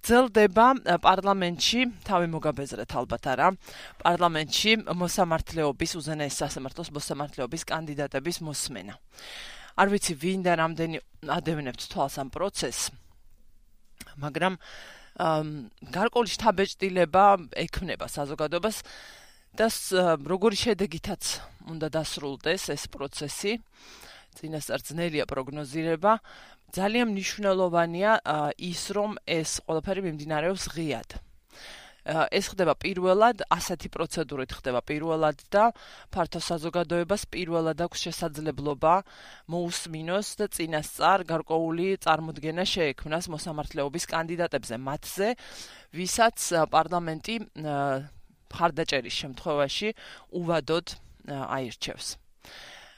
გრძელდება პარლამენტში, თავი მოგაბეზრეთ ალბათ არა, პარლამენტში მოსამართლეობის, უზენაეს სასამართლოს მოსამართლეობის კანდიდატების მოსმენა. არ ვიცი ვინ და რამდენი ადევნებთ თვალს ამ პროცესს, მაგრამ გარკვეული შთაბეჭდილება ექმნება საზოგადოებას და როგორი შედეგითაც უნდა დასრულდეს ეს პროცესი, წინასწარ ძნელია პროგნოზირება, ძალიან მნიშვნელოვანია ის, რომ ეს ყველაფერი მიმდინარეობს ღიად. ეს ხდება პირველად, ასეთი პროცედურით ხდება პირველად და ფართო საზოგადოებას პირველად აქვს შესაძლებლობა მოусმინოს და წინასწარ გარკვეული წარმოდგენა შეექმნას მოსამართლეობის კანდიდატებზე, მათზე, ვისაც პარლამენტი მხარდაჭერის შემთხვევაში უვადოდ აირჩევს.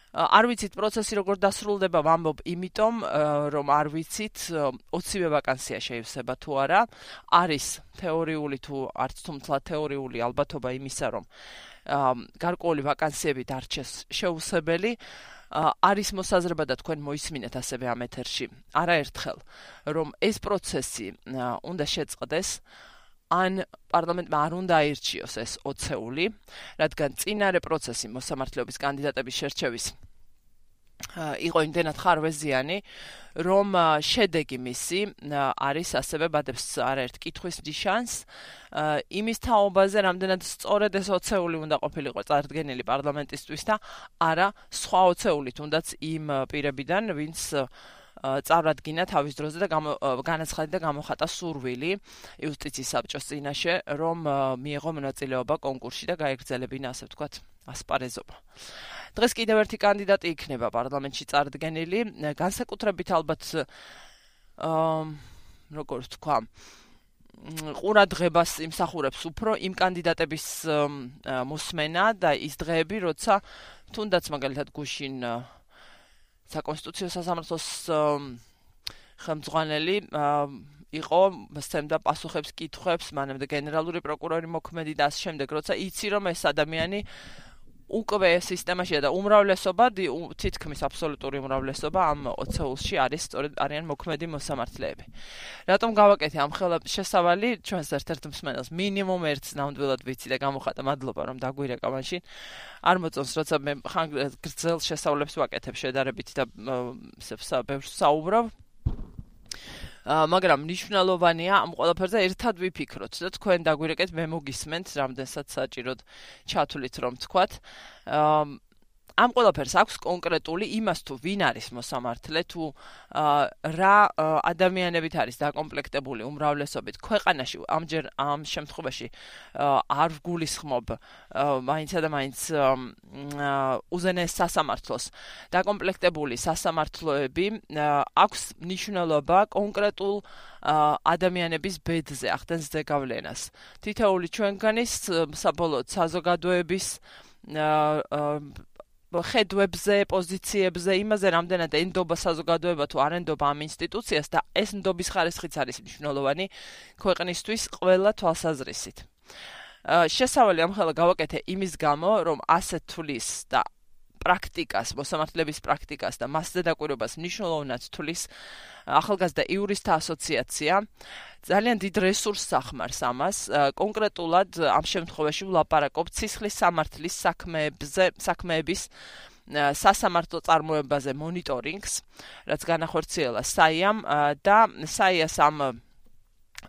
არ ვიცით პროცესი როგორ დასრულდება, ვამბობ იმიტომ, რომ არ ვიცით 20-ვე ვაკანსია შეივსება თუ არა, არის თეორიული თუ არც თუმცა თეორიული ალბათობა იმისა, რომ გარკვეული ვაკანსიები დარჩეს შეუსებელი, არის მოსაზრება და თქვენ მოისმინეთ ასევე ამ ეთერში, არაერთხელ, რომ ეს პროცესი უნდა შეწყდეს, ან პარლამენტმა არ უნდა აირჩიოს ეს 20-ეული, რადგან წინარე პროცესი მოსამართლეობის კანდიდატების შერჩევის იყო იმდენად ხარვეზიანი, რომ შედეგი მისი არის ასევე ბადებს არაერთ კითხვის ნიშანს იმის თაობაზე, რამდენად სწორედ ეს 20-ეული უნდა ყოფილიყო წარდგენილი პარლამენტისთვის და არა სხვა 20-ეული, თუნდაც იმ პირებიდან, ვინც წარადგინა თავის დროზე და განაცხადა და გამოხატა სურვილი იუსტიციის საბჭოს წინაშე, რომ მიეღო მონაწილეობა კონკურსში და გაეგრძელებინა, ასე ვთქვათ, ასპარეზობა. დღეს კიდევ ერთი კანდიდატი იქნება პარლამენტში წარდგენილი, განსაკუთრებით ალბათ როგორ ვთქვა, ყურადღებას იმსახურებს უფრო იმ კანდიდატების მოსმენა და ის დღეები, როცა თუნდაც მაგალითად გუშინ საკონსტიტუციო სასამართლოს ხელმძღვანელი იყო სცემდა პასუხებს კითხვებს, მანამდე გენერალური პროკურორი მოქმედი და ამ შემდეგ, როცა იცი რომ ეს ადამიანი უკვე სისტემაშია და უმრავლესობა, თითქმის აბსოლუტური უმრავლესობა ამ 20-ულში არის სწორედ არიან მოქმედი მოსამართლეები. რატომ გავაკეთე ამ შესავალი ჩვენს ერთ-ერთ მსმენელს მინიმუმ ერთს ნამდვილად ვიცი და გამოხატა, მადლობა რომ დაგვირეკა მაშინ. არ მოწონს, როცა მე გრძელ შესავლებს ვაკეთებ შედარებით და ბევრს საუბრობ. მაგრამ მნიშვნელოვანია ამ ყველაფერზე ერთად ვიფიქროთ და თქვენ დაგვირეკეთ, მე მოგისმენთ, რამდენსაც საჭიროდ ჩათვლით რომ თქვათ. ამ ყველაფერს აქვს კონკრეტული იმას თუ ვინ არის მოსამართლე, თუ რა ადამიანებით არის დაკომპლექტებული უმრავლესობით ქვეყანაში, ამჯერ ამ შემთხვევაში არ ვგულისხმობ მაინცა და მაინც უზენაეს სასამართლოს დაკომპლექტებული სასამართლოები აქვს მნიშვნელობა კონკრეტულ ადამიანების ბედზე, ახდენს ზეგავლენას. თითოეული ჩვენგანის საბოლოოდ საზოგადოების ხედვებზე, პოზიციებზე, იმაზე რამდენად ენდობა საზოგადოება თუ არ ენდობა ამ ინსტიტუციას და ეს ნდობის ხარისხიც არის მნიშვნელოვანი ქვეყნისთვის ყველა თვალსაზრისით. შესავალი ამხელა გავაკეთე იმის გამო, რომ ასეთ თვლის და პრაქტიკას, მოსამართლეების პრაქტიკას და მასზე დაკვირვებას მნიშვნელოვნად თვლის ახალგაზრდა იურისტთა ასოციაცია, ძალიან დიდ რესურსს ახმარს ამას, კონკრეტულად ამ შემთხვევაში ვლაპარაკობ ცისხლის სამართლის საქმეების სასამართლო წარმოებაზე მონიტორინგს, რაც განახორციელა საიამ და საიას ამ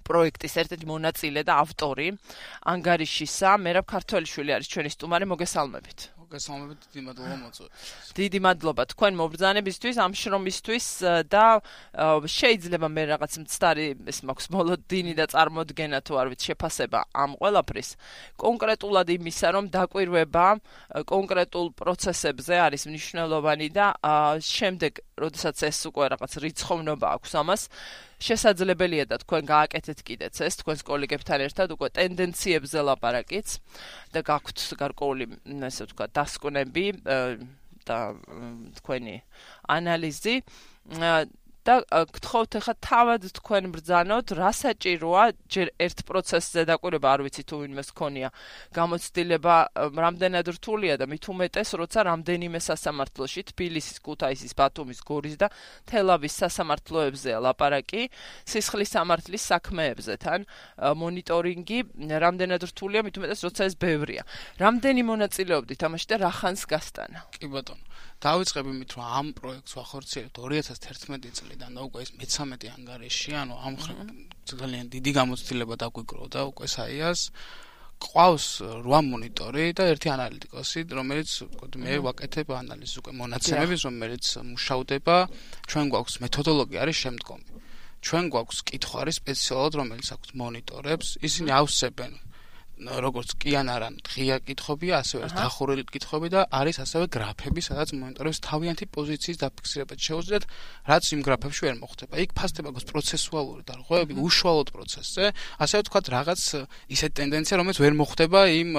პროექტის ერთ-ერთი მონაწილე და ავტორი ანგარიშისა მერაბ ქართველიშვილი არის ჩვენი სტუმარი, მოგესალმებით. გასაუბრებით დიდი მადლობა მოწვევით. დიდი მადლობა თქვენ მობრძანებისთვის, ამ შრომისთვის და შეიძლება მე რაღაც მცდარი ეს მაქვს მოლოდინი და წარმოდგენა თუ არ ვიცი შეფასება ამ ყველაფრის კონკრეტულად იმისა, რომ დაკვირვება კონკრეტულ პროცესებზე არის მნიშვნელოვანი და შემდეგ, როდესაც ეს უკვე რაღაც რიცხოვნობა აქვს ამას, შესაძლებელია და თქვენ გააკეთეთ კიდეც ეს თქვენს კოლეგებთან ერთად უკვე ტენდენციებზე ლაპარაკიც და გაქვთ გარკვეული, ესე ვთქვათ, დასკვნები და თქვენი ანალიზი. და გთხოვთ ახლა თავად თქვენ ბრძანოთ, რა საჭიროა ჯერ ერთ პროცესზე დაკვირვება, არ ვიცი თუ ვინმეს ქონია გამოცდილება რამდენად რთულია და მით უმეტეს, როცა რამდენიმე სასამართლოში თბილისის, ქუთაისის, ბათუმის, გორის და თელავის სასამართლოებზეა ლაპარაკი, სისხლის სამართლის საქმეებზე თან მონიტორინგი რამდენად რთულია, მით უმეტეს, როცა ეს ბევრია. რამდენი მონაწილეობდით ამაში და რა ხანს გასტანა? კი ბატონო. დავიწყებ იმით, რომ ამ პროექტს ვახორციელებთ 2011 წლიდან და უკვე ეს მე-13 ანგარიში, ანუ ამ ძალიან დიდი გამოცდილება დაგვიგროვა და უკვე საიას ყავს 8 მონიტორი და 1 ანალიტიკოსი, რომელიც მე ვაკეთებ ანალიზს უკვე მონაცემების, რომელიც მუშავდება, ჩვენ გვაქვს მეთოდოლოგია არის შემდგომი. ჩვენ გვაქვს კითხვარი სპეციალურად, რომელიც აქვს მონიტორებს, ისინი ავსებენ როგორც კი ან არა ღია კითხვებია, ასევე დახურული კითხვები და არის ასევე გრაფები, სადაც მონიტორებს თავიანთი პოზიციის დაფიქსირება შეუძლიათ, რაც იმ გრაფებში ვერ მოხდება. იქ ფასდება გვაქვს პროცესუალური დარღვევები, უშუალოდ პროცესზე, ასევე თქვათ რაღაც ისეთი ტენდენცია, რომელიც ვერ მოხდება იმ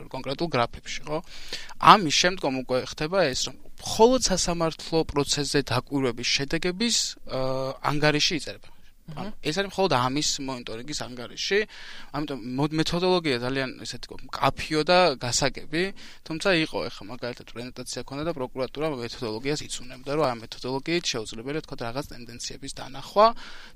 კონკრეტულ გრაფებში, ხო? ამის შემდგომ უკვე ხდება ეს, რომ მხოლოდ სასამართლო პროცესზე დაკვირვების შედეგების ანგარიში იწერება. ეს არის მხოლოდ ამის მონიტორინგის ანგარიში, ამიტომ მეთოდოლოგია ძალიან ესეთი მკაფიო და გასაგები, თუმცა იყო ახლა მაგალითად პრეზენტაცია ქონდა და პროკურატურა მეთოდოლოგიას იცუნებდა, რომ ამ მეთოდოლოგიით შეუძლებელია თქვა რაღაც ტენდენციების დანახვა,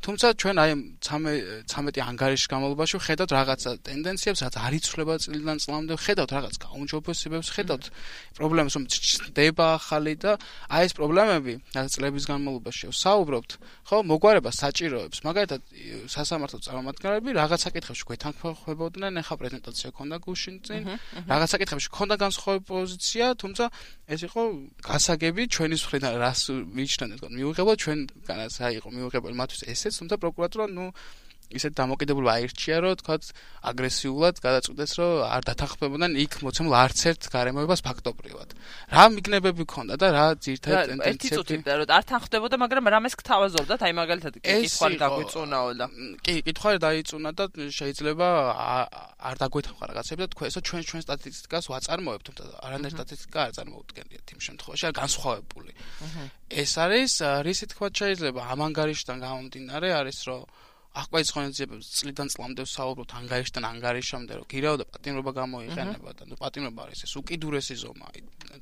თუმცა ჩვენ აი 13 ანგარიშის განმავლობაში ხედავთ რაღაცა ტენდენციებს, რაც არ იცვლება წლიდან წლამდე, ხედავთ რაღაც გაუმჯობესებებს, ხედავთ პრობლემებს, რომ ჩნდება ახალი და აი ეს პრობლემები, რაც წლების განმავლობაში ვსაუბრობთ, ხო, მოგვარება საჭიროებს მაგალითად სასამართლო წარმომადგენლები რაღაც საკითხებში გვეთანხმებოდნენ, ახლა პრეზენტაცია ქონდა გუშინ წინ, რაღაც საკითხებში ქონდა განსხვავებული პოზიცია, თუმცა ეს იყო გასაგები ჩვენი მხრიდან რას მიიჩნევდნენ, მიუღებელ ჩვენგანაც რა იყო მიუღებელი მათთვის ესეც, თუმცა პროკურატურა ისეთ დამოკიდებულება აირჩია, რომ თქვა აგრესიულად გადაწყვეტეს, რომ არ დათანხმებოდნენ იქ მოცემულ არც ერთ გარემოებას ფაქტობრივად. რა მიგნებები ქონდა და რა ძირითადად ტენდენციები? ერთი წუთი რომ არ თანხმდებოდა, მაგრამ რამეს გთავაზობდათ, აი მაგალითად კითხვარი დაგვიწუნაო და კი, კითხვარი დაიწუნა და შეიძლება არ დაგვეთანხმა რაღაცები და თქვა ესო ჩვენ სტატისტიკას ვაწარმოებთ, თუმცა არანაირი სტატისტიკა არ წარმოუდგენიათ იმ შემთხვევაში, არ განსხვავებული. ეს არის რისი თქვა შეიძლება ამ ანგარიშიდან გამომდინარე არის, რომ აღკვეცი ღონისძიებებს წლიდან წლამდე ვსაუბრობთ ანგარიშიდან ანგარიშამდე, რომ გირაო და პატიმრობა გამოიყენება და პატიმრობა არის ეს უკიდურესი ზომა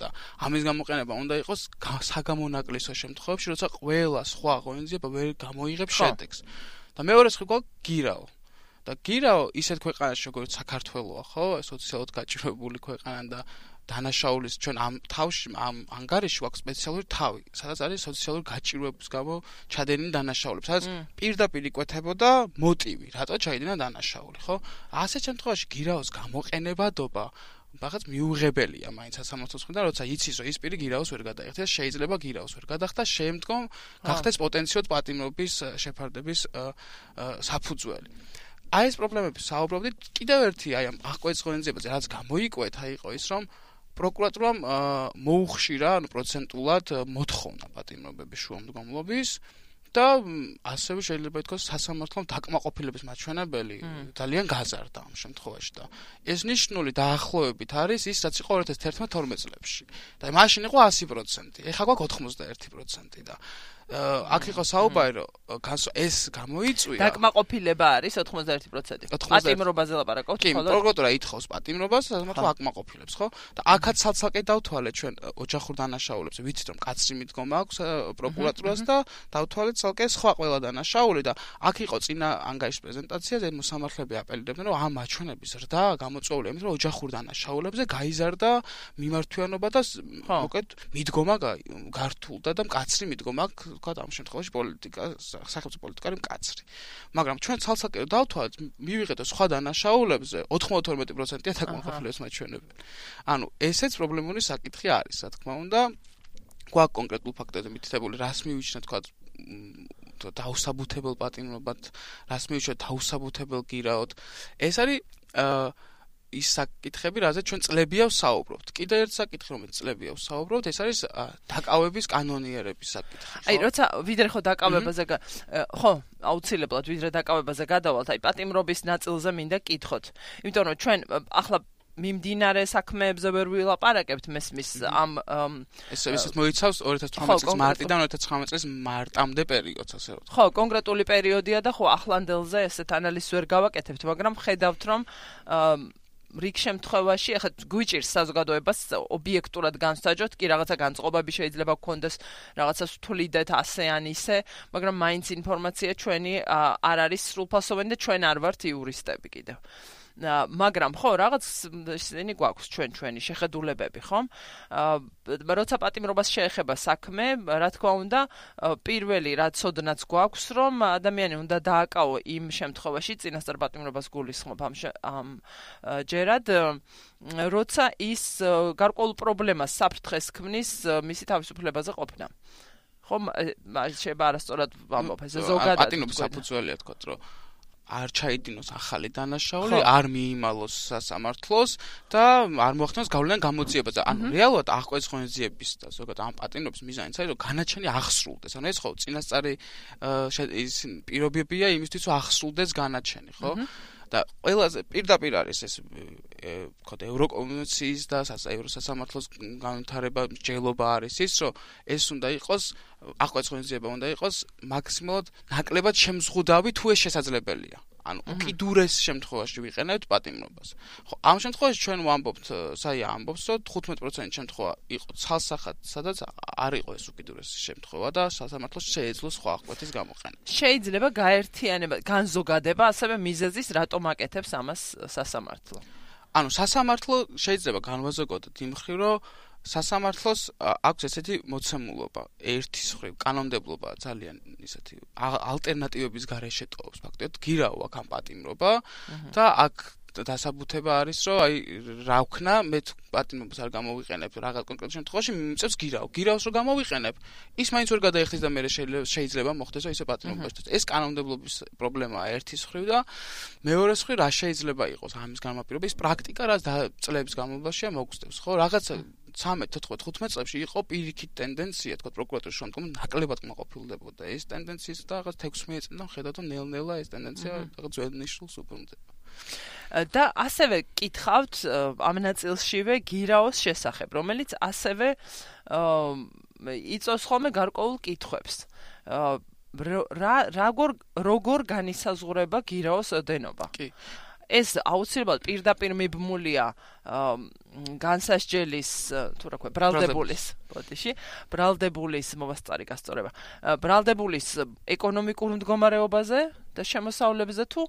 და ამის გამოყენება უნდა იყოს საგამონაკლისო შემთხვევებში, როცა ყველა სხვა ღონისძიება ვერ გამოიღებს შედეგს. და მეორე სხვა გირაო. და გირაო ისეთ ქვეყანაში, როგორც საქართველოა, ხო, სოციალურად გაჭირვებული ქვეყანა და დანაშაულის ჩვენ ამ თავში ამ ანგარიში გვაქვს სპეციალური თავი, სადაც არის სოციალური გაჭირვების გამო ჩადენილი დანაშაულები, სადაც პირდაპირ იკვეთებოდა მოტივი, რატო ჩაიდინა დანაშაული, ხო? ასეთ შემთხვევაში გირაოს გამოყენებადობა რაღაც მიუღებელია მაინც სასამართლოს მხრიდან, როცა იცის, რომ ის პირი გირაოს ვერ გადაიხდეს, შეიძლება გირაოს ვერ გადახდა, შემდგომ გახდეს პოტენციურად პატიმრობის შეფარდების საფუძველი. აი ეს პრობლემები საუბრობდით, კიდევ ერთი აი ამ აღკვეცი ღონისძიებაზე რაც გამოიკვეთა იყო ის, რომ პროკურატურამ მოუხშირა, ანუ პროცენტულად მოთხოვნა პატიმრობების შუამდგომლობის და ასევე შეიძლება ითქვას სასამართლომ დაკმაყოფილების მაჩვენებელი ძალიან გაზარდა ამ შემთხვევაში და ეს ნიშნული დაახლოებით არის ის, რაც იყო 2011-12 წლებში. და მაშინ იყო 100%, ეხლა გვაქვს 91% და აქ იყო საუბარი, რომ ეს გამოიწვია. დაკმაყოფილება არის 91%. პატიმრობაზე ლაპარაკობთ ხოლმე? კი, პროკურატურა ითხოვს პატიმრობას, სასამართლო აკმაყოფილებს, ხო? და აქაც ცალ-ცალკე დავთვალეთ ჩვენ ოჯახურ დანაშაულებზე, ვიცით რომ კაცრი მიდგომა აქვს პროკურატურას და დავთვალეთ ცალკე სხვა ყველა დანაშაული და აქ იყო წინა ანგარიშის პრეზენტაციაზე მოსამართლეები აპელირებდნენ, რომ ამ მაჩვენების ზრდა გამოწვეულია იმით, რომ ოჯახურ დანაშაულებზე გაიზარდა მიმართვიანობა და მოკეთ მიდგომა გართულდა და მკაცრი მიდგომა თქვა ამ შემთხვევაში პოლიტიკა, სახელმწიფო პოლიტიკა არის მკაცრი. მაგრამ ჩვენ ცალ-ცალკე დავთვალეთ, მივიღეთ სხვა დანაშაულებზე 92%-ია დაკმაყოფილების მაჩვენებელი. ანუ ესეც პრობლემური საკითხი არის, რა თქმა უნდა. გვაქვს კონკრეტულ ფაქტებზე მითითებული, რას მივიჩნევთ, თქვა დაუსაბუთებელ პატიმრობად, რას მივიჩნევთ დაუსაბუთებელ გირაოდ. ეს არის ის საკითხები, რაზეც ჩვენ წლებია ვსაუბრობთ. კიდევ ერთ საკითხი, რომელიც წლებია ვსაუბრობთ, ეს არის დაკავების კანონიერების საკითხი. აი, როცა ვიდრე ხო დაკავებაზე ხო, აუცილებლად ვიდრე დაკავებაზე გადავალთ, აი პატიმრობის ნაწილზე მინდა კითხოთ. იმიტომ რომ ჩვენ ახლა მიმდინარე საქმეებზე ვერ ვილაპარაკებთ მესმის ამ ეს მოიცავს 2018 წლის მარტიდან 2019 წლის მარტამდე პერიოდს ასე ვთქვათ. ხო, კონკრეტული პერიოდია და ხო ახლანდელზე ესეთ ანალიზს ვერ გავაკეთებთ, მაგრამ ხედავთ რომ რიგ შემთხვევაში ახლა გვიჭირს საზოგადოებას ობიექტურად განსაჯოთ, კი რაღაცა განწყობები შეიძლება გქონდეს, რაღაცას ვთვლიდეთ ასე ან ისე, მაგრამ მაინც ინფორმაცია ჩვენი არ არის სრულფასოვანი და ჩვენ არ ვართ იურისტები კიდევ. მაგრამ ხო რაღაც ისინი გვაქვს ჩვენი შეხედულებები ხომ როცა პატიმრობას შეეხება საქმე რა თქმა უნდა პირველი რაც ოდნაც გვაქვს რომ ადამიანი უნდა დააკავო იმ შემთხვევაში წინასწარ პატიმრობას გულისხმობ ამ ჯერად როცა ის გარკვეულ პრობლემას საფრთხეს ქმნის მისი თავისუფლებაზე ყოფნა ხომ შეიძლება არასწორად ვამბობ ეს ზოგადად პატიმრობის საფუძველია თქო რომ არ ჩაიდინოს ახალი დანაშაული, არ მიიმალოს სასამართლოს და არ მოახდინოს გავლენა გამოძიებაზე. ანუ რეალურად აღკვეცი ღონისძიების და ზოგადად ამ პატიმრობის მიზანიც არის, რომ განაჩენი აღსრულდეს. ანუ ეს ხო წინასწარი ის პირობებია იმისთვის, რომ აღსრულდეს განაჩენი, ხო? და ყველაზე პირდაპირ არის ეს ვთქვათ ევროკონვენციის და ევროსასამართლოს განვითარება მსჯელობა არის ის რომ ეს უნდა იყოს აღკვეცი ღონისძიება უნდა იყოს მაქსიმალურად ნაკლებად შემზღუდავი თუ ეს შესაძლებელია ანუ უკიდურეს შემთხვევაში ვიყენებთ პატიმრობას ხო ამ შემთხვევაში ჩვენ ვამბობთ საია ამბობს რომ 15% შემთხვევა იყო ცალსახად სადაც არ იყო ეს უკიდურეს შემთხვევა და სასამართლოს შეეძლო სხვა აღკვეთის გამოყენება შეიძლება გაერთიანება განზოგადება ასევე მიზეზის რატომ აკეთებს ამას სასამართლო ანუ სასამართლო შეიძლება განვაზოგოთ იმ მხრივ რომ სასამართლოს აქვს ესეთი მოცემულობა ერთის მხრივ კანონმდებლობა ძალიან ისეთი ალტერნატივების გარეშე ტოვებს ფაქტობრივად გირაო აქ ამ პატიმრობა და აქ დასაბუთება არის რომ აი რა ვქნა მე პატიმრობას არ გამოვიყენებ რაღაც კონკრეტულ შემთხვევაში მიწევს გირაოს რომ გამოვიყენებ ის მაინც ვერ გადაიხდის და მე შეიძლება მოხდეს რომ ისე პატიმრობაში ეს კანონმდებლობის პრობლემაა ერთის მხრივ და მეორეს მხრივ რა შეიძლება იყოს ამის განმაპირობა ის პრაქტიკა რაც წლების განმავლობაში მოგვწევს ხო რაღაცა 13-15 წლებში იყო პირიქით ტენდენცია თქო პროკურატურის შემდგომ ნაკლებად კმაყოფილდებოდა ეს ტენდენციის და რაღაც 16 წლიდან ხედავთ რომ ნელ-ნელა ეს ტენდენცია რაღაც ძველ ნიშნულს უბრუნდება და ასევე კითხავთ ამ ნაწილშივე გირაოს შესახებ რომელიც ასევე იწვევს ხოლმე გარკვეულ კითხვებს როგორ განისაზღვრება გირაოს ოდენობა კი ეს აუცილებლად პირდაპირ მიბმულია განსასჯელის თუ რა ქვია ბრალდებულის ბოდიში ბრალდებულის მომასწარი გასწორება ბრალდებულის ეკონომიკურ მდგომარეობაზე და შემოსავლებზე თუ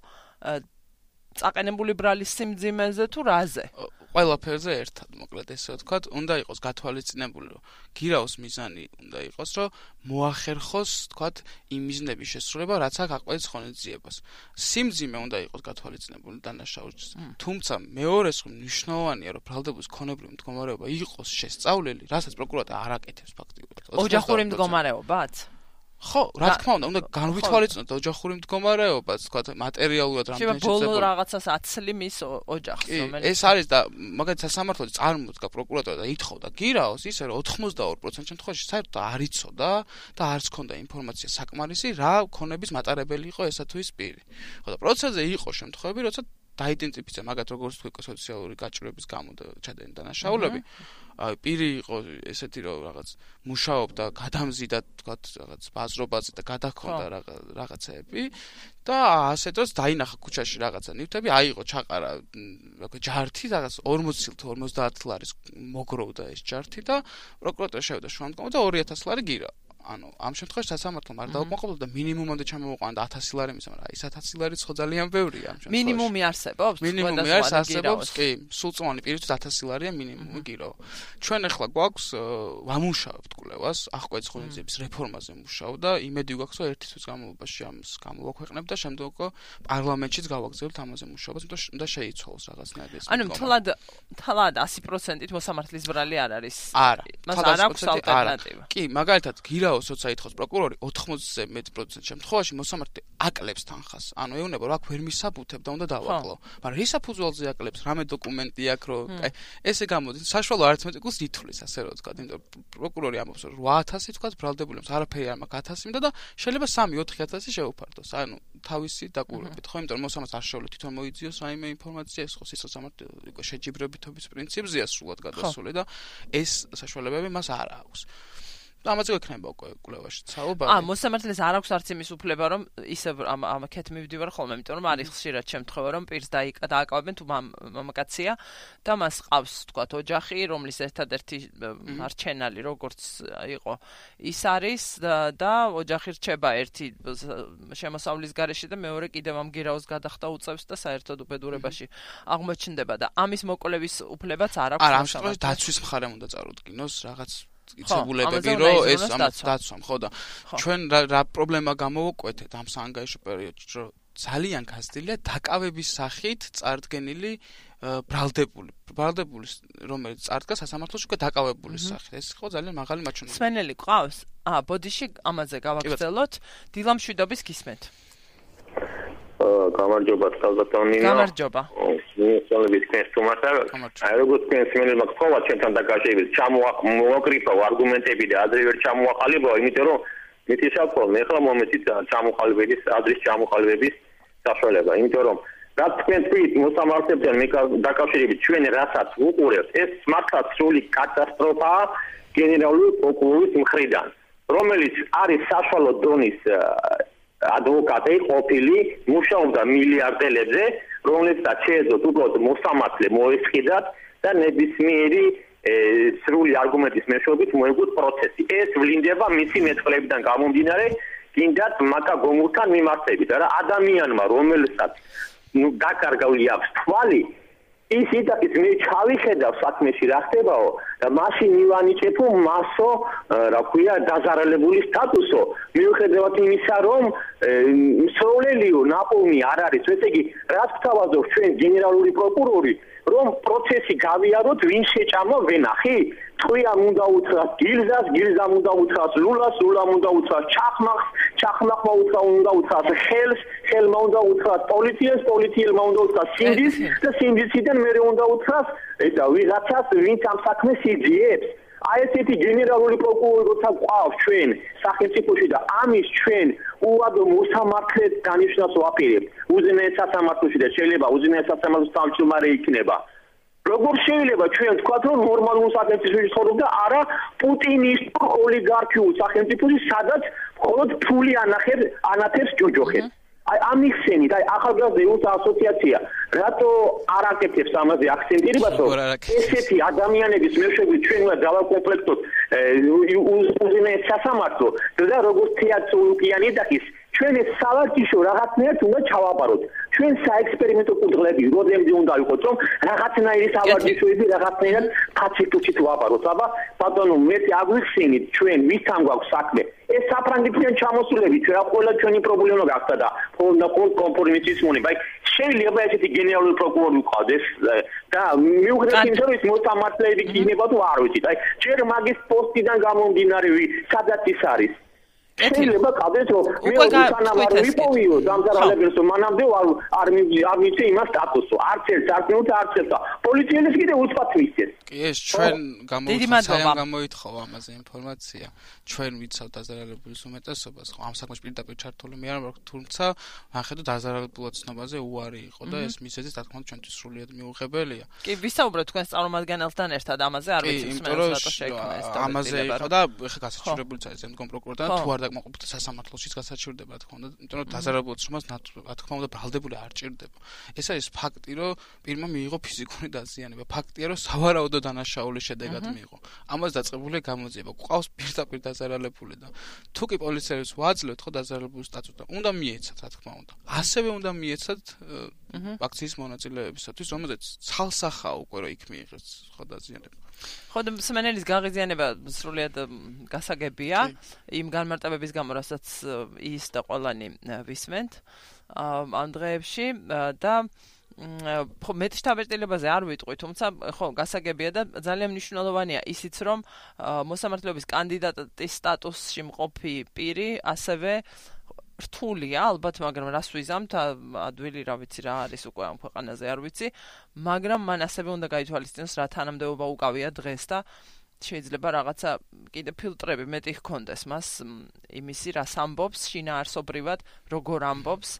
წაყენებული ბრალის სიმძიმეზე თუ რაზე ყველაფერზე ერთად მოკლედ ესე ვთქვათ უნდა იყოს გათვალისწინებული რომ გირაოს მიზანი უნდა იყოს რომ მოახერხოს ვთქვათ იმ მიზნების შესრულება რაც აქ აღკვეცი ღონისძიებას სიმძიმე უნდა იყოს გათვალისწინებული დანაშაულს თუმცა მეორეს მნიშვნელოვანია რომ ბრალდებულის ქონებრივი მდგომარეობა იყოს შესწავლილი რასაც პროკურატურა არ აკეთებს ფაქტიურად ოჯახური მდგომარეობაც ხო, რა თქმა უნდა, უნდა განვითვალისწინოთ ოჯახური მდგომარეობაც, თქვათ, მატერიალურად რამდენი შეიძლება ბოლო რაღაცას აცლი მის ოჯახს, რომელიც ეს არის და მაგალითად სასამართლო წარმოდგა პროკურატურა და ითხოვდა გირაოს ისე რომ 82% შემთხვევაში საერთოდ არ იცოდა და არც ჰქონდა ინფორმაცია საკმარისი რა ქონების მატარებელი იყო ესა თუ ის პირი. ხო და პროცესზე იყო შემთხვევები, როცა დაიდენტიფიცირა მაგათ როგორც თქვი სოციალური გაჭირვების გამო და ჩადენილი დანაშაულები. პირი იყო ესეთი რომ რაღაც მუშაობდა გადამზიდა თქვათ რაღაც ბაზრობაზე და გადახონდა რაღაცეები და ასე დროს დაინახა ქუჩაში რაღაცა ნივთები აიღო ჩაყარა რა ქვია ჯართი რაღაც 40 თუ 50 ლარის მოგროვდა ეს ჯართი და პროკურატურა შევიდა შემდგომ და 2000 ლარი გირა ანუ ამ შემთხვევაში სასამართლომ არ დაუკმაყოფილდა და მინიმუმამდე ჩამოვიყვანა 1000 ლარი მისმა რა ის 1000 ლარიც ხო ძალიან ბევრია ამ შემთხვევაში მინიმუმი არსებობს მინიმუმი არსებობს კი სულწმუნი პირისთვის 1000 ლარია მინიმუმი გირო ჩვენ ახლა გვაქვს ვამუშავებთ კვლევას აღკვეცი ღონისძიების რეფორმაზე მუშაობ და იმედი გვაქვს რომ ერთი თვის განმავლობაში ამას გამოვაქვეყნებ და შემდგომ პარლამენტშიც გავაგზავნებთ ამაზე მუშაობას უნდა შეიცვალოს რაღაცნაირად ეს ანუ თლად 100%-ით მოსამართლის ბრალი არ არის არა მას არ აქვს ალტერნატივა კი მაგალითად გირა ვიდეოს როცა ითხოვს პროკურორი 80-ზე მეტ პროცენტ შემთხვევაში მოსამართლე აკლებს თანხას. ანუ ეუბნება რომ აქ ვერ მისაბუთებ და უნდა დავაკლო. მაგრამ რის საფუძველზე აკლებს? რამე დოკუმენტი აქვს რომ აი ესე გამოდის საშუალო არითმეტიკულს ითვლის ასე რომ ვთქვა. იმიტომ პროკურორი ამბობს რომ 8000 ვთქვა ბრალდებული აქვს არაფერი არ მაქვს 1000 მინდა და შეიძლება 3-4-1000 შეუფარდოს. ანუ თავისი დაკვირვებით ხო? იმიტომ რომ მოსამართლეს არ შეუძლია თვითონ მოიძიოს რაიმე ინფორმაცია ეს ხო სიცოცხლე უკვე შეჯიბრებითობის პრინციპზეა სრულად გადასული და ეს საშუალებები მას არ აქვს. ამაზე გვექნება უკვე კვლევაში საუბარი. მოსამართლეს არ აქვს არც იმის უფლება რომ ისე ამ კეთ მივდივარ ხოლმე, იმიტომ რომ არის ხშირად შემთხვევა რომ პირს დააკავებენ თუ მამაკაცია და მას ყავს თქვათ ოჯახი, რომლის ერთადერთი მარჩენალი როგორც იყო ის არის და ოჯახი რჩება ერთი შემოსავლის გარეშე და მეორე კიდევ ამ გირაოს გადახდა უწევს და საერთოდ უბედურებაში აღმოჩნდება და ამის მოკვლევის უფლებაც არ აქვს. არა, ამ შემთხვევაში დაცვის მხარემ უნდა წარუდგინოს რაღაც იცებულებები რომ ეს ამას დაცვამ ხო და ჩვენ რა პრობლემა გამოვუკვეთეთ ამ საანგარიშო პერიოდში რომ ძალიან გაზრდილია დაკავების სახით წარდგენილი ბრალდებული რომელიც წარდგა სასამართლოში უკვე დაკავებული სახით ეს ხო ძალიან მაღალი მაჩვენებელი. სვენელი ყავს? ბოდიში ამაზე გავაგრძელოთ. დილამშვიდობის გისმენთ. გამარჯობა თალბატონინო. გამარჯობა. მისწავლების თემასა. აი როგორც სვენელმა ყოლა ჩემთან დაკავშირებით ჩამოაკრიფა არგუმენტები და ადრე ვერ ჩამოაყალიბა, იმიტომ რომ მითიშავ მე ხლა მომეცით ჩამოყალიბების ადრის ჩამოყალიბების საშუალება, იმიტომ რომ რაც თქვენ თქვით მოსამართლებთან დაკავშირებით ჩვენ რასაც უყურებთ, ეს მართლაც სრული კატასტროფაა გენერალური პროკურორის მხრიდან, რომელიც არის საშუალო დონის ადვოკატი ყოფილი, მუშაობდა მილიარდელებზე, რომლებსაც შეეძლოთ უბრალოდ მოსამართლე მოესყიდათ და ნებისმიერი სრული არგუმენტის მეშვეობით მოეგვოთ პროცესი. ეს ვლინდება მისი მეტყველებიდან გამომდინარე, კიდათ მაკა გომურთან მიმართებით. რა ადამიანმა, რომელსაც დაკარგული აქვს თვალი, ის იტაკის მე ჩავიხედავ საქმეში რა ხდებაო და მაშინ მივანიჭებო მასო, რა ქვია, დაზარალებული სტატუსო. მიუხედავად იმისა, რომ მსროლელიო ნაპოვნი არ არის, ესე იგი, რაც გვთავაზობს ჩვენ გენერალური პროკურორი, რომ პროცესი გავიაროთ, ვინ შეჭამა ვენახი? თქვენ უნდა უთხრათ გილზას, გილზამ უნდა უთხრათ ლულას, ლულამ უნდა უთხრათ ჩახმახს, ჩახმახმა უნდა უთხრათ ხელს, ხელმა უნდა უთხრათ პოლიციას, პოლიციელმა უნდა უთხრათ სინდისს და სინდისიდან მე უნდა უთხრათ ესა ვიღაცას, ვინც ამ საქმეს იძიებს. აი ესეთი გენერალური პროკურორი როცა გვყავს ჩვენ სახელმწიფოში და ამის ჩვენ უადო მოსამართლეს დანიშნავს ვაპირებთ. უზენაეს სასამართლოში და შეიძლება უზენაეს სასამართლოს თავმჯდომარე იქნება. როგორ შეიძლება ჩვენ თქვათ რომ ნორმალურ სახელმწიფოში ცხოვრობ და არა პუტინისტურ ოლიგარქიულ სახელმწიფოში, სადაც მხოლოდ ფული ანათებს ჯოჯოხებს. აი ამიხსენით, აი ახალგაზრდა იუთა ასოციაცია რატო არ აკეთებს ამაზე აქცენტირებას, რომ ესეთი ადამიანების მეშვეობით ჩვენ უნდა დავაკომპლექტოთ უზენაეს სასამართლო და როგორც თეატრი ლუკიანი დაკის ჩვენ ეს სავარჯიშო რაღაცნაირად უნდა ჩავაბაროთ. ჩვენ საექსპერიმენტო კურდღლები როდემდე უნდა ვიყოთ, რომ რაღაცნაირი სავარჯიშოები რაღაცნაირად ფაცილიტით ვაბაროთ. აბა ბატონო, მე აგვიხსენით ჩვენ ვისთან გვაქვს საქმე. ეს საფრანგეთიდან ჩამოსულები ჩვენ ყველა ჩვენი პრობლემა გახდა და კონფორმიტის მონება. აი შეიძლება ესეთი გენერალური პროკურორი ვყავდეს და მიუხედავად იმისა, რომ ის მოსამართლეები იქნება თუ არ ვიცით. აი ჯერ მაგის პოსტიდან გამომდინარე, სადაც ის არის. შეიძლება ყავდეს რომ მე უკანავარ ვიპოვიო დამზარალებელს, მანამდე არ მივიცე იმას სტატუსო. არც ერთ არც არც ერთ პოლიციელს კიდე უცბად მისცეს. კი ეს ჩვენ გამოითხოვა ამაზე ინფორმაცია. ჩვენ ვიცავთ დაზარალებულის უმეტესობას, ხო ამ საქმეში პირდაპირ ჩართული მე არ ვარ, თუმცა ახედო დაზარალებულად ცნობაზე უარი იყო და ეს მისეზი თქმა უნდა ჩვენთვის სრულიად მიუღებელია. კი ვისაუბრეთ თქვენს წარმომადგენელთან ერთად ამაზე, არ ვიცი მსმენელს რატო შეექმნა ეს და ამაზე იყო და ეხლა გასაჩივრებულიც არის ზემდგომ პროკურორთან თუ არ დაკმაყოფილდა სასამართლოშიც გასაჩივრდება რა თქმა უნდა, იმიტომ რომ დაზარალებულ ცნობას რა თქმა უნდა ბრალდებული არ ჭირდება. ეს არის ფაქტი, რომ პირმა მიიღო ფიზიკური დაზიანება. ფაქტია, რომ სავარაუდო დანაშაულის შედეგად მიიღო. ამას დაწყებულია გამოძიება. გვყავს პირდაპირ დაზარალებული და თუ კი პოლიციელს ვაძლევთ ხო დაზარალებულის სტატუსს და უნდა მიეცათ რა თქმა უნდა. ასევე უნდა მიეცათ აქციის მონაწილეებისათვის, რომელზეც ცალსახაა უკვე რომ იქ მიიღეს ხო დაზიანება. ხო და მსმენელის გაღიზიანება სრულიად გასაგებია იმ განმარტებების გამო, რასაც ის და ყველანი ვისმენთ ამ დღეებში და მეტ შთაბეჭდილებაზე არ ვიტყვი, თუმცა ხო, გასაგებია და ძალიან მნიშვნელოვანია ისიც, რომ მოსამართლეობის კანდიდატის სტატუსში მყოფი პირი ასევე რთულია, ალბათ, მაგრამ რას ვიზამთ, ადვილი რა ვიცი რა არის უკვე ამ ქვეყანაზე არ ვიცი, მაგრამ მან ასევე უნდა გაითვალისწინოს რა თანამდებობა უკავია დღეს და შეიძლება რაღაცა კიდე ფილტრები მეტი ჰქონდეს მას იმისი რას ამბობს შინაარსობრივად, როგორ ამბობს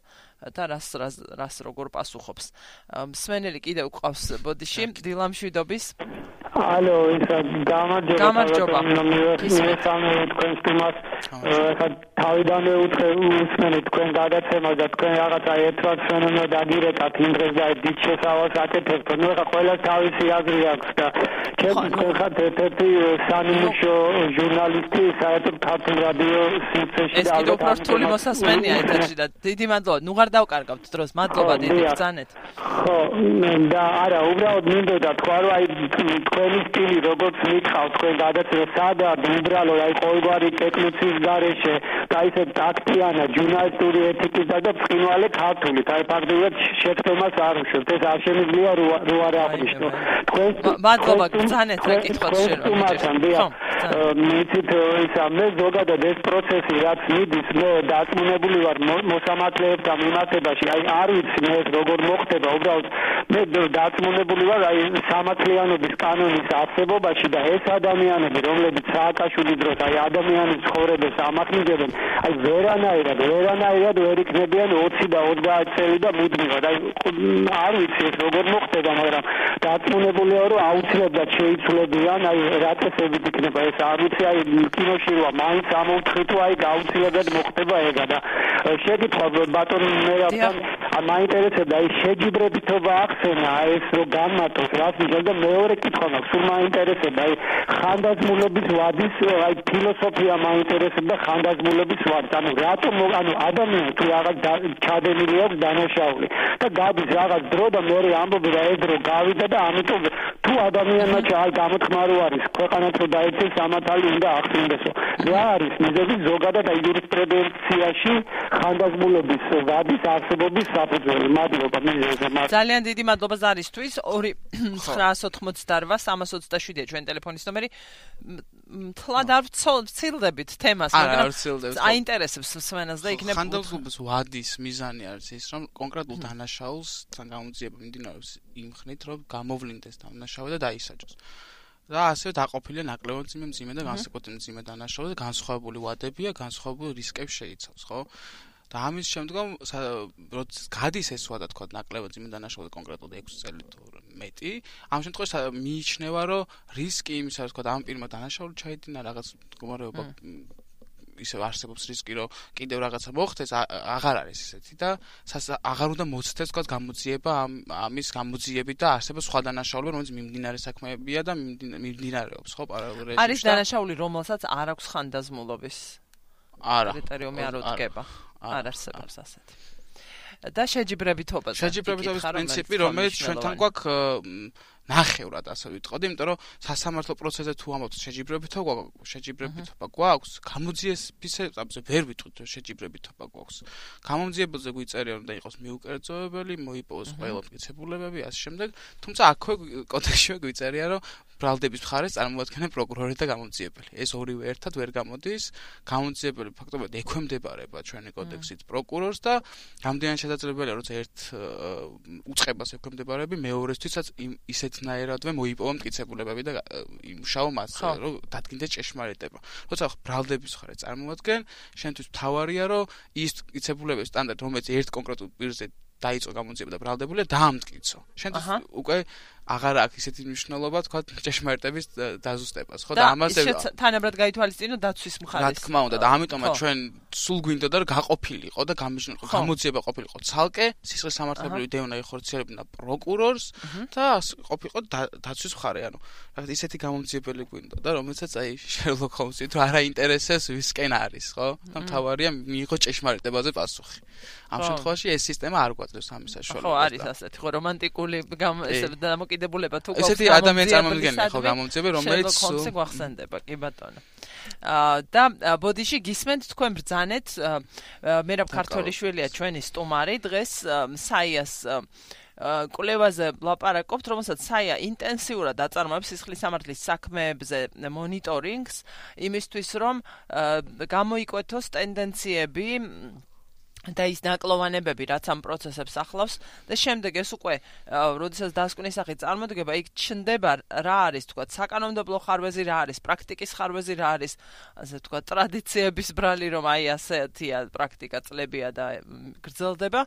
და რას როგორ პასუხობს. მსმენელი კიდე უყავს ბოდიში, დილამშვიდობის. ალო, ისა გამარჯობა. მესამე თქვენს თემას თავიდანვე უსმენთ თქვენ გადაცემას და თქვენ რაღაცა ერთვარ ფენომენად დაგირეკათ იმ დღეს და დიდ შესავალს აკეთებთ. ნუ ხა ყველა თავისი აზრი აქვს და ჩვენ ხართ ერთ-ერთი სანიმუშო ჟურნალისტი საერთოდ ქართულ რადიო სივრცეში და ალბათ უფრო რთული მოსასმენია ეთერში და დიდი მადლობა. ნუ ღარ დავკარგავთ დროს. მადლობა დიდი ბრძანეთ. ხო, და არა, უბრალოდ მინდოდა თქვა რომ აი თქვენი სტილი როგორც მითხავს თქვენ გადაცემა სადა უბრალო აი ყოველგვარი ტექნიკის გარეშე და ისე ტაქტიანა ჟურნალისტური ეთიკის და ბრწყინვალე ქართული. აი ფაქტობრივად შეცდომას არ უშვებთ. ეს არ შემიძლია რო არ აღნიშნო. თქვენ მადლობა ბრძანეთ რა კითხოთ შეიძლება. მიცით ისა მე ზოგადად ეს პროცესი რაც მიდის მე დაწმუნებული ვარ მოსამართლეებთან მიმართებაში აი არ ვიცი მე როგორ მოხდება უბრალოდ მე დაწმუნებული ვარ აი სამართლიანობის კანონის არსებობაში და ეს ადამიანები რომლებიც სააკაშვილის დროს აი ადამიანის ცხოვრებას ამახინჯებენ აი ვერანაირად ვერ იქნებიან 20 და 30 წელი და მუდმივად აი არ ვიცი ეს როგორ მოხდება მაგრამ დაწმუნებული ვარ რომ აუცილებლად შეიცვლებიან აი რა წესებით იქნება ეს არ ვიცი აი კინოში როა მაინც ამოვთხრით აი გაუცილებლად მოხდება ეგა და შეგითხრა ბატონ მერაბთან მაინტერესებდა აი შეჯიბრებითობა ახსენა ეს რო განმარტოს რას ნიშნავს და მეორე კითხვა მაქვს სულ მაინტერესებდა აი ხანდაზმულობის ვადის აი ფილოსოფია მაინტერესებდა ხანდაზმულობის ვადის ანუ რატომ ანუ ადამიანი თუ რაღაც ჩადენილი აქვს დანაშაული და გადის რაღაც დრო და მეორე ამბობი რა ეს დრო გავიდა და ამიტომ თუ ადამიანმა აი გამოთქმა რო არის ქვეყანაც რო დაეცეს სამართალი უნდა ახსენდესო რა არის მიზეზი ზოგადად აი იურისპრუდენციაში ხანდაზმულობის ვადის არსებობის საფუძველი მადლობა ძალიან დიდი მადლობა ზარისთვის 2-988-327-ია ჩვენ ტელეფონის ნომერი თლად არ ვცილდებით თემას მაგრამ აინტერესებს მსმენელს და იქნებ ხანდაზმულობის ვადის მიზანი არის ის რომ კონკრეტულ დანაშაულს თან გამოძიება მიმდინარეობს იმ ხნით რომ გამოვლინდეს დანაშაული და დაისაჯოს და ასევე დაყოფილია ნაკლებად მძიმე და განსაკუთრებით მძიმე დანაშაული და განსხვავებული ვადებია, განსხვავებული რისკებს შეიცავს, ხო? და ამის შემდგომ როცა გადის ეს ვადა თქვა ნაკლებად მძიმე დანაშაული კონკრეტულად 6 წელი თუ მეტი, ამ შემთხვევაში მიიჩნევა, რომ რისკი იმისა, რომ თქვა ამ პირმა დანაშაული ჩაიდინა რაღაც მდგომარეობა ისე არსებობს რისკი, რომ კიდევ რაღაცა მოხდეს, აღარ არის ისეთი და აღარ უნდა მოწდეს თქვა გამოძიება ამის გამოძიებით და არსებობს სხვა დანაშაულები, რომელიც მიმდინარე საქმეებია და მიმდინარეობს, ხო, პარალელურად. არის დანაშაული, რომელსაც არ აქვს ხანდაზმულობის კრიტერიუმი არ უდგება. არ არსებობს ასეთი. და შეჯიბრებითობა. შეჯიბრებითობის პრინციპი, რომელიც ჩვენთან გვაქვს ნახევრად ასე ვიტყოდი, იმიტომ რომ სასამართლო პროცესზე თუ ამბობთ შეჯიბრებითობა გვაქვს, გამოძიებისებზე ვერ ვიტყვით რომ შეჯიბრებითობა გვაქვს. გამომძიებელზე გვიწერია რომ და იყოს მიუკერძოებელი, მოიპოვოს ყველა მტკიცებულებები, ასე შემდეგ, თუმცა აქვე კოდექსში გვიწერია რომ ბრალდების მხარეს წარმოადგენენ პროკურორი და გამომძიებელი. ეს ორივე ერთად ვერ გამოდის. გამომძიებელი ფაქტობრივად ექვემდებარება ჩვენი კოდექსით პროკურორს და რამდენად შესაძლებელია როცა ერთ უწყებას ექვემდებარები, მეორესთვისაც ისეთნაირადვე მოიპოვა მტკიცებულებები და იმუშაო მასზე, რომ დადგინდეს ჭეშმარიტება. როცა ბრალდების მხარე წარმოადგენ, შენთვის მთავარია, რომ ის მტკიცებულებების სტანდარტი, რომელიც ერთ კონკრეტულ პირზე დაიწყო გამოძიება და ბრალდებულია, დაამტკიცო. შენთვის უკვე აღარ აქვს ისეთი მნიშვნელობა, თქვა ჭეშმარიტების დაზუსტებას, ხო? და ამაზე თანაბრად გაითვალისწინო დაცვის მხარეს. რა თქმა უნდა, და ამიტომაც ჩვენ სულ გვინდოდა რომ გაყოფილიყო და გამიჯნყო, გამოძიება ყოფილიყო ცალკე, სისხლის სამართლებრივი დევნა იხორციელებინა პროკურორს და ყოფილიყო დაცვის მხარე, ანუ რაღაც ისეთი გამომძიებელი გვინდოდა, რომელსაც აი შერლოკ ჰოლმსი თუ არ აინტერესებს ვისკენ არის, ხო? და მთავარია მიიღო ჭეშმარიტებაზე პასუხი. ამ შემთხვევაში ეს სისტემა არ გვაძლევს ამის საშუალებას. ხო, არის ასეთი, ხო, რომანტიკული ესე დამოკიდებულება თუ გვაქვს. ესეთი ადამიანი წარმომადგენელი ხო გამომძიება, რომელიც ხომსე გვახსენდება, კი ბატონო. და ბოდიში გისმენთ თქვენ ბრძანეთ, მერაბ ქართველიშვილია ჩვენი სტუმარი დღეს საიას კვლევაზე ვლაპარაკობთ, რომელსაც SAIA ინტენსიურად აწარმოებს სისხლის სამართლის საქმეებზე მონიტორინგს, იმისთვის რომ გამოიკვეთოს ტენდენციები და ის ნაკლოვანებები, რაც ამ პროცესებს ახლავს და შემდეგ ეს უკვე, როდესაც დასკვნის სახით წარმოდგება, იქ ჩნდება რა არის, თქვა, საკანონმდებლო ხარვეზი რა არის, პრაქტიკის ხარვეზი რა არის, ასე თქვა, ტრადიციების ბრალი, რომ აი ასეთია პრაქტიკა წლებია და გრძელდება.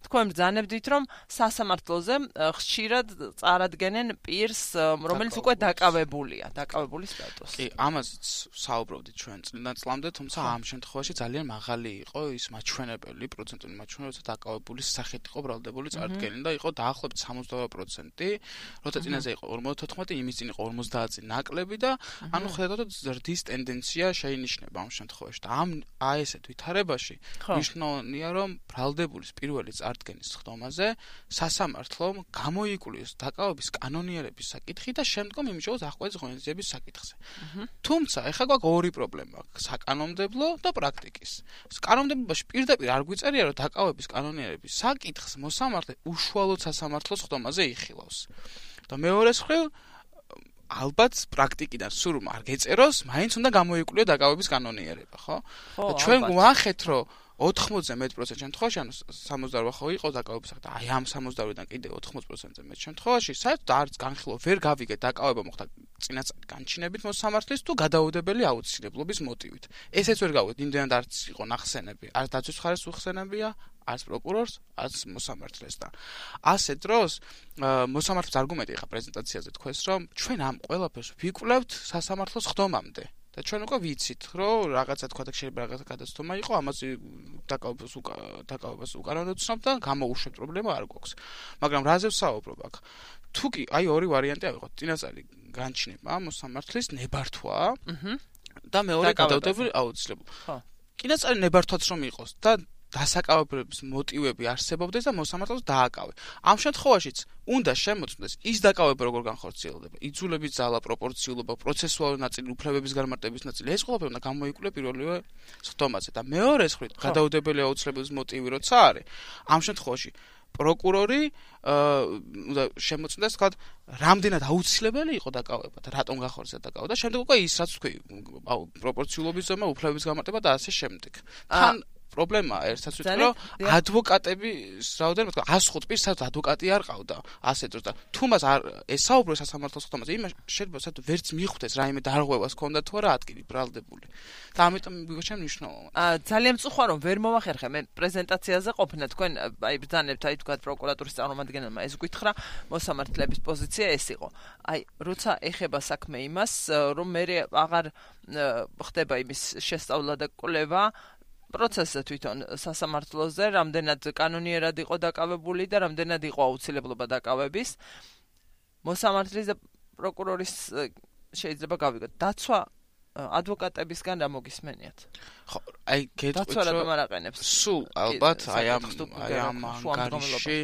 თქვენ ბრძანებდით, რომ სასამართლოზე ხშირად წარადგენენ პირს, რომელიც უკვე დაკავებული სტატუსი. კი, ამაზეც საუბრობდით ჩვენ წლიდან წლამდე, თუმცა ამ შემთხვევაში ძალიან მაღალი იყო ის მაჩვენებელი პროცენტული მაჩვენებელი, როცა დაკავებულის სახით იყო ბრალდებული წარდგენილი და იყო დაახლოებით 70%, როცა წინაზე იყო 54, იმის წინ იყო 50 წინ ნაკლები და ანუ ხედავთ ზრდის ტენდენცია შეინიშნება ამ შემთხვევაში და აი ესეთ ვითარებაში მნიშვნელოვანია რომ ბრალდებულის პირველი წარდგენის ხდომაზე სასამართლომ გამოიკვლიოს დაკავების კანონიერების საკითხი და შემდგომ იმუშაოს აღკვეთის ღონისძიების საკითხზე. თუმცა ეხლა გვაქვს ორი პრობლემა, საკანონმდებლო და პრაქტიკის. კანონმდებლობაში პირდაპირ არ წერია რომ დაკავების კანონიერების საკითხს მოსამართლე უშუალოდ სასამართლოს ხდომაზე იხილავს. და მეორეს მხრივ ალბათ პრაქტიკიდან სულ არ გეწეროს, მაინც უნდა გამოიკვლიო დაკავების კანონიერება, ხო? და ჩვენ გვახეთ რომ 80-ზე მეტ პროცენტ შემთხვევაში, ანუ 68 ხო იყო დაკავების და აი ამ 68-დან კიდე 80%-ზე მეტ შემთხვევაში, საერთოდ არც განხილვა ვერ გავიგეთ დაკავება მოხდა წინასწარი განჩინებით მოსამართლის თუ გადაუდებელი აუცილებლობის მოტივით. ესეც ვერ გავიგეთ, იმდენად არც იყო ნახსენები, არც დაცვის მხარეს უხსენებია, არც პროკურორს, არც მოსამართლეს და ასე დროს მოსამართლის არგუმენტი ხა პრეზენტაციაზე თქვეს, რომ ჩვენ ამ ყველაფერს ვიკვლევთ სასამართლოს ხდომამდე. და ჩვენ უკვე ვიცით, რომ რაღაცა თქვა და შეიძლება რაღაცა გადაცდომა იყო, ამაზე დაკავებას უკანონოდ ვცნობ და გამოუშვებ პრობლემა არ გვაქვს. მაგრამ რაზე ვსაუბრობ აქ? თუ კი აი ორი ვარიანტი ავიღოთ, წინასწარი განჩინება მოსამართლის ნებართვა და მეორე გადაუდებელი აუცილებლობა. ხო. წინასწარი ნებართვაც რომ იყოს და დასაკავებლების მოტივები არსებობდეს და მოსამართლეს დააკავე. ამ შემთხვევაშიც უნდა შემოწმდეს ის დაკავება როგორ განხორციელდება, იძულების ძალა, პროპორციულობა, პროცესუალური ნაწილი, უფლებების განმარტების ნაწილი, ეს ყველაფერი უნდა გამოიკვლია პირველივე ხდომაზე და მეორე მხრივ გადაუდებელი აუცილებლობის მოტივი როცა არის, ამ შემთხვევაში პროკურორი უნდა შემოწმდეს, თქვა, რამდენად აუცილებელი იყო დაკავება და რატომ განხორციელდა დაკავება და შემდეგ უკვე ის რაც თქვი, პროპორციულობის ზომა, უფლებების განმარტება და ასე შემდეგ. თან პრობლემა ერთსაც ვიტყვი, რომ ადვოკატების რაოდენობა 105 პირს საერთოდ ადვოკატი არ ყავდა ასე დროს და თუ მას არ ესაუბროს სასამართლოს ხდომაზე, იმას შეიძლება საერთოდ ვერც მიხვდეს რაიმე დარღვევას ქონდა თუ არა ადგილი ბრალდებული. და ამიტომ მიგოჩენ მნიშვნელოვანი. ძალიან მწუხარ რომ ვერ მომახერხე მე პრეზენტაციაზე ყოფნა თქვენ აი ბრძანებთ აი თქვა პროკურატურის წარმომადგენელმა ეს გითხრა მოსამართლეების პოზიცია ეს იყო. აი როცა ეხება საქმე იმას რომ მე აღარ ხდება იმის შესწავლა და კვლევა პროცესზე თვითონ სასამართლოზე, რამდენად კანონიერად იყო დაკავებული და რამდენად იყო აუცილებლობა დაკავების. მოსამართლის და პროკურორის შეიძლება გავიგოთ. დაცვა ადვოკატებისგან რა მოგისმენიათ? ხო, აი დაცვა რატომ არ აყენებს? სულ ალბათ აი ამ ანგარიში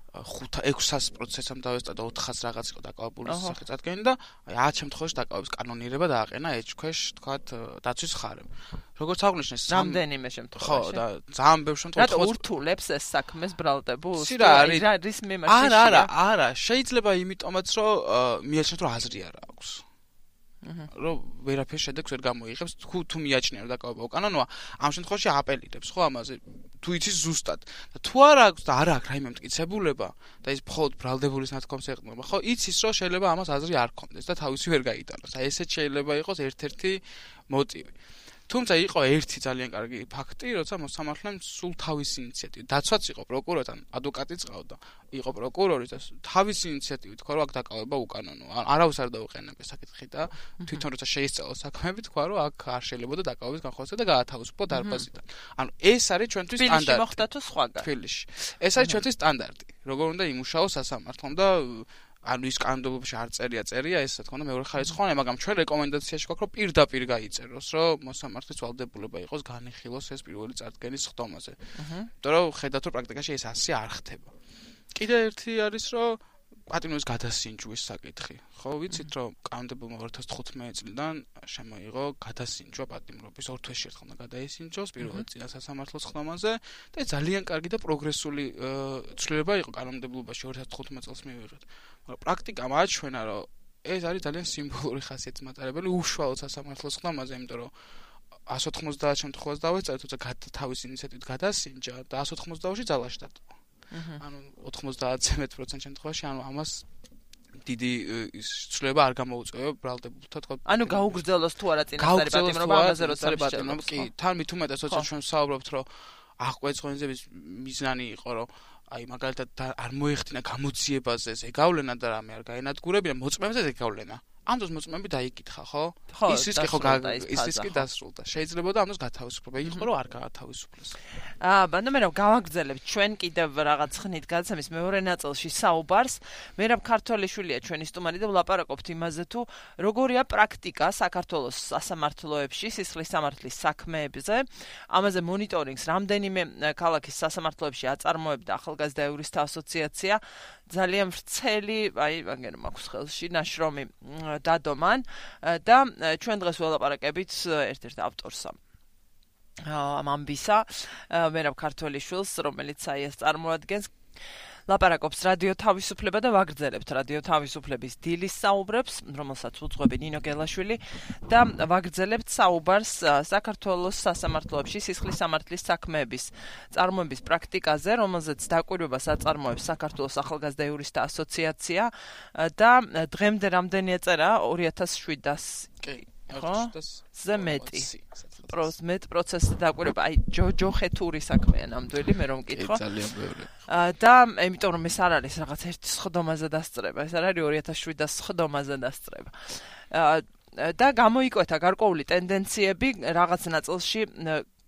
500-600 პროცესამ დავესწა და 400 რაღაც იყო დაკავებული სახით წარდგენილი და აი 10 შემთხვევაში დაკავების კანონიერება დააყენა ეჭქვეშ, თქვათ, დაცვის ხარემ. როგორც აღნიშნეს, რამდენიმე შემთხვევაში. ხო, და ძალიან ბევრ შემთხვევაში რატო ურთულებს ეს საქმეს ბრალდებულს? არის მიმართული. არა, შეიძლება იმიტომაც რომ მიაჩნიათ რომ აზრი არ აქვს. რომ ვერაფერ შედეგს ვერ გამოიღებს, თუ მიაჩნია რომ დაკავება უკანონოა, ამ შემთხვევაში აპელირებს, ხო, ამაზე თუ იცის ზუსტად. და თუ არ აქვს და არ აქვს რაიმე მტკიცებულება და ის მხოლოდ ბრალდებულის ნათქვამს ეყრდნობა, ხო, იცის რომ შეიძლება ამას აზრი არ ქონდეს და თავისი ვერ გაიტანოს. აი ესეც შეიძლება იყოს ერთ-ერთი მოტივი. თუმცა იყო ერთი ძალიან კარგი ფაქტი, როცა მოსამართლემ სულ თავისი ინიციატივით, დაცვაც იყო პროკურორთან, ადვოკატიც ყავდა, იყო პროკურორი და თავისი ინიციატივით თქვა, რომ აქ დაკავება უკანონოა. არავის არ დაუყენებია საკითხი და თვითონ როცა შეისწავლა საქმეები, თქვა, რომ აქ არ შეიძლებოდა დაკავების განხორციელება და გაათავისუფლა დარბაზიდან. ანუ ეს არის ჩვენთვის სტანდარტი. თბილისში მოხდა თუ სხვაგან? თბილისში. ეს არის ჩვენთვის სტანდარტი. როგორ უნდა იმუშაოს სასამართლომ და ანუ ის კანონმდებლობაში არ წერია, ეს რა თქმა უნდა მეორე ხარისხოვანი, მაგრამ ჩვენ რეკომენდაციაში გვაქვს, რომ პირდაპირ გაიწეროს, რომ მოსამართლის ვალდებულება იყოს განიხილოს ეს პირველი წარდგენის ხდომაზე. იმიტომ რომ ხედავთ, რომ პრაქტიკაში ეს ასე არ ხდება. კიდე ერთი არის, რომ პატიმრობის გადასინჯვის საკითხი. ხო, ვიცით, რომ კანონმდებელმა 2015 წლიდან შემოიღო გადასინჯვა პატიმრობის 2 თვეში ერთხელ უნდა გადაისინჯოს პირველად წინა სასამართლოს ხდომაზე და ძალიან კარგი და პროგრესული ცვლილება იყო კანონმდებლობაში 2015 წელს მივიღეთ. მაგრამ პრაქტიკა მაჩვენა, რომ ეს არის ძალიან სიმბოლური ხასიათის მატარებელი უშუალოდ სასამართლოს ხდომაზე, იმიტომ რომ 190 შემთხვევას დავეწერეთ, თუმცა თავის ინიციატივით გადასინჯა და 190-ში ძალაში დატოვა. ანუ 90% შემთხვევაში ანუ ამას დიდი ცვლილება არ გამოუწევია ბრალდებულთა თქო. ანუ გაუგრძელოს თუ არა წინასწარი პატიმრობა ამაზე როცა პატიმრობა კი თან მით უმეტეს როცა ჩვენ ვსაუბრობთ რომ აღკვეცხვენზების მიზანი იყო რომ აი მაგალითად არ მოეხდინა გამოძიებაზე ზეგავლენა და რამე არ გაენადგურებინა მოწმეებზე ზეგავლენა. ამ დროს მოწმეები დაიკითხა, ხო? ის რისკი ხო ის რისკი დასრულდა. შეიძლება და ამ დროს გათავისუფლება იყო, რომ არ გაათავისუფლეს. ბანდა მე რა გავაგრძელებთ ჩვენ კიდევ რაღაც ხნით გადაცემის მეორე ნაწილში საუბარს. მერაბ ქართველიშვილია ჩვენი სტუმარი და ვლაპარაკობთ იმაზე თუ როგორია პრაქტიკა საქართველოს სასამართლოებში სისხლის სამართლის საქმეებზე. ამაზე მონიტორინგს რამდენიმე ქალაქის სასამართლოებში აწარმოებდა ახალგაზრდა იურისტთა ასოციაცია. ძალიან ვრცელი, აი, მაგერ მაქვს ხელში ნაშრომი დადომან და ჩვენ დღეს ველაპარაკებით ერთ-ერთ ავტორს ამ ამბისა, მერაბ ქართველიშვილს, რომელიც აი ეს წარმოადგენს ლაპარაკობს რადიო თავისუფლება და ვაგრძელებთ რადიო თავისუფლების დილის საუბრებს, რომელსაც უძღვები ნინო გელაშვილი და ვაგრძელებთ საუბარს საქართველოს სასამართლოებში სისხლის სამართლის საქმეების წარმოების პრაქტიკაზე, რომელზეც დაკვირვებას აწარმოებს საქართველოს ახალგაზრდა იურისტთა ასოციაცია და დღემდე რამდენი ეწერა 2700 ხო? ზემეტი. პროცესი დაკვირვება, აი ჯოხეთური საქმეა ნამდვილი, მე რომ მკითხო. ძალიან ბევრი. და იმიტომ რომ ეს არ არის რაღაც ერთ სხდომაზე დასწრება, ეს არ არის 2700 სხდომაზე დასწრება. და გამოიკვეთა გარკვეული ტენდენციები რაღაც ნაწილში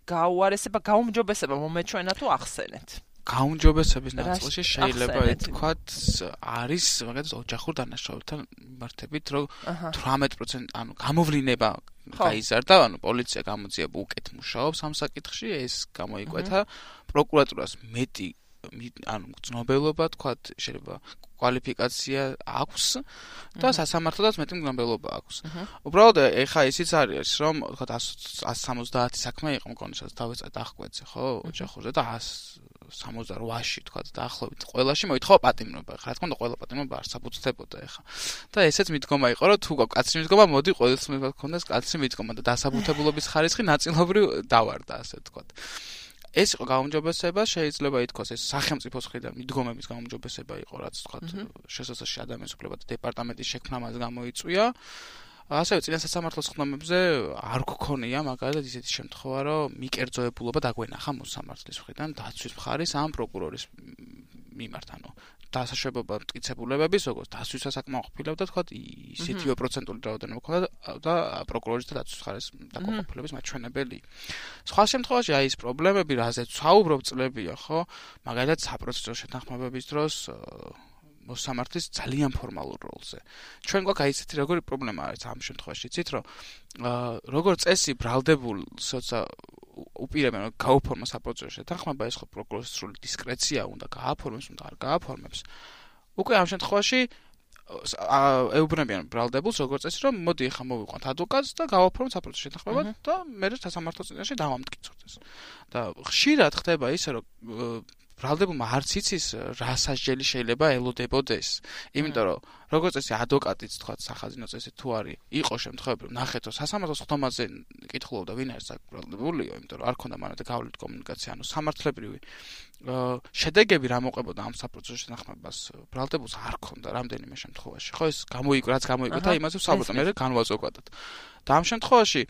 გაუარესება, გაუმჯობესება მომეჩვენა თუ ახსენეთ. გაუმჯობესების ნაწილში შეიძლება ითქვათ არის მაგალითად ოჯახურ დანაშაულებთან მიმართებით, რომ 18% ანუ გამოვლინება გაიზარდა, ანუ პოლიცია გამოძიება უკეთ მუშაობს ამ საკითხში, ეს გამოიკვეთა პროკურატურას მეტი ანუ ცნობილობა, თქვათ, შეიძლება კვალიფიკაცია აქვს და სასამართლოდაც მეტი მგზნობელობა აქვს. უბრალოდ ეხა ისიც არის, რომ თქვათ 170 საქმე იყო მგონი, სადაც დავეწეთ აღკვეცე, ხო, ოჯახურზე და 168-ში თქვათ დაახლოებით ყველაში მოითხოვა პატიმრობა. ხა რა თქმა უნდა ყველა პატიმრობა არ საფუძვდებოდა ეხა. და ესეც მიდგომა იყო, რომ თუ გაქვს კაცრი მიდგომა, მოდი ყოველთვის მეკონდეს კაცრი მიდგომა და დასაბუთებულობის ხარისხი ნაწილობრივ დავარდა, ასე თქვათ. ეს იყო გაუმჯობესება, შეიძლება ითქვას ეს სახელმწიფოს მხრიდან მიდგომების გაუმჯობესება იყო, რაც თქვათ შესაძლოა ადამიანის უფლებათა დეპარტამენტის შექმნა მას გამოიწვია. ასევე წინა სასამართლოს ხდომებზე არ გქონია მაგალითად ისეთი შემთხვევა, რომ მიკერძოებულობა დაგვენახა მოსამართლის მხრიდან დაცვის მხარის ან პროკურორის მიმართ, ანუ დასაშვებობა მტკიცებულებების, როგორც დასვის სასაკმაო ყოფილება, თქვათ, ისეთივე პროცენტული რაოდენობა ჰქონდა და პროკურორის და დაცვის მხარის დაკმაყოფილების მაჩვენებელი. სხვა შემთხვევაში აი ეს პრობლემები, რაზეც ვსაუბრობ წლებია, ხო? მაგალითად საპროცესო შეთანხმებების დროს მოსამართლის ძალიან ფორმალურ როლზე. ჩვენ გვაქვს აი ესეთი როგორი პრობლემა არის ამ შემთხვევაში, იცით, რომ როგორც წესი ბრალდებულს როცა უპირებენ რომ გაუფორმოს საპროცესო შეთანხმება, ეს ხო პროკურორის სრული დისკრეცია უნდა გააფორმოს, უნდა არ გააფორმებს. უკვე ამ შემთხვევაში ეუბნებიან ბრალდებულს როგორც წესი, რომ მოდი ახლა მოვიყვანთ ადვოკატს და გავაფორმოთ საპროცესო შეთანხმება და მე სასამართლო წინაშე დავამტკიცოთ ეს. და ხშირად ხდება ისე, რომ ბრალდებულმა არც იცის რა სასჯელი შეიძლება ელოდებოდეს. იმიტომ რომ როგორც წესი ადვოკატიც თქვა სახაზინო წესი თუ არის, იყო შემთხვევები რომ ნახეთ რომ სასამართლოს ხდომაზე კითხულობდა ვინ არის საბრალდებულიო, იმიტომ რომ არ ქონდა მანამდე გავლით კომუნიკაცია, ანუ სამართლებრივი შედეგები რა მოყვებოდა ამ საპროცესო შეთანხმებას ბრალდებულს არ ქონდა რამდენიმე შემთხვევაში. ხო ეს რაც გამოიკვეთა იმაზე ვსაუბრობ მე განვაზოგადად. და ამ შემთხვევაში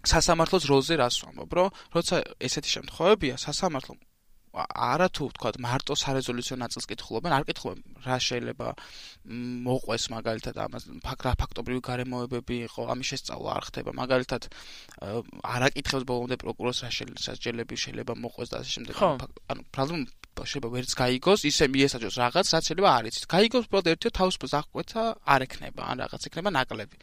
სასამართლოს როლზე რას ვამბობ, რომ როცა ესეთი შემთხვევებია სასამართლო არათუ თქვათ მარტო სარეზოლუციო ნაწილს კითხულობენ, არ კითხულობენ რა შეიძლება მოყვეს მაგალითად ამას ფაქტობრივი გარემოებები იყო, ამის შესწავლა არ ხდება. მაგალითად არ აკითხებს ბოლომდე პროკურორს რა სასჯელები შეიძლება მოყვეს და ასე შემდეგ. ანუ ბრალდებულმა შეიძლება ვერც გაიგოს, ისე მიესაჯოს რაღაც, რაც შეიძლება არ იცით. გაიგოს უბრალოდ ერთიო თავისუფლებას აღკვეთა არ ექნება, ან რაღაც ექნება ნაკლები.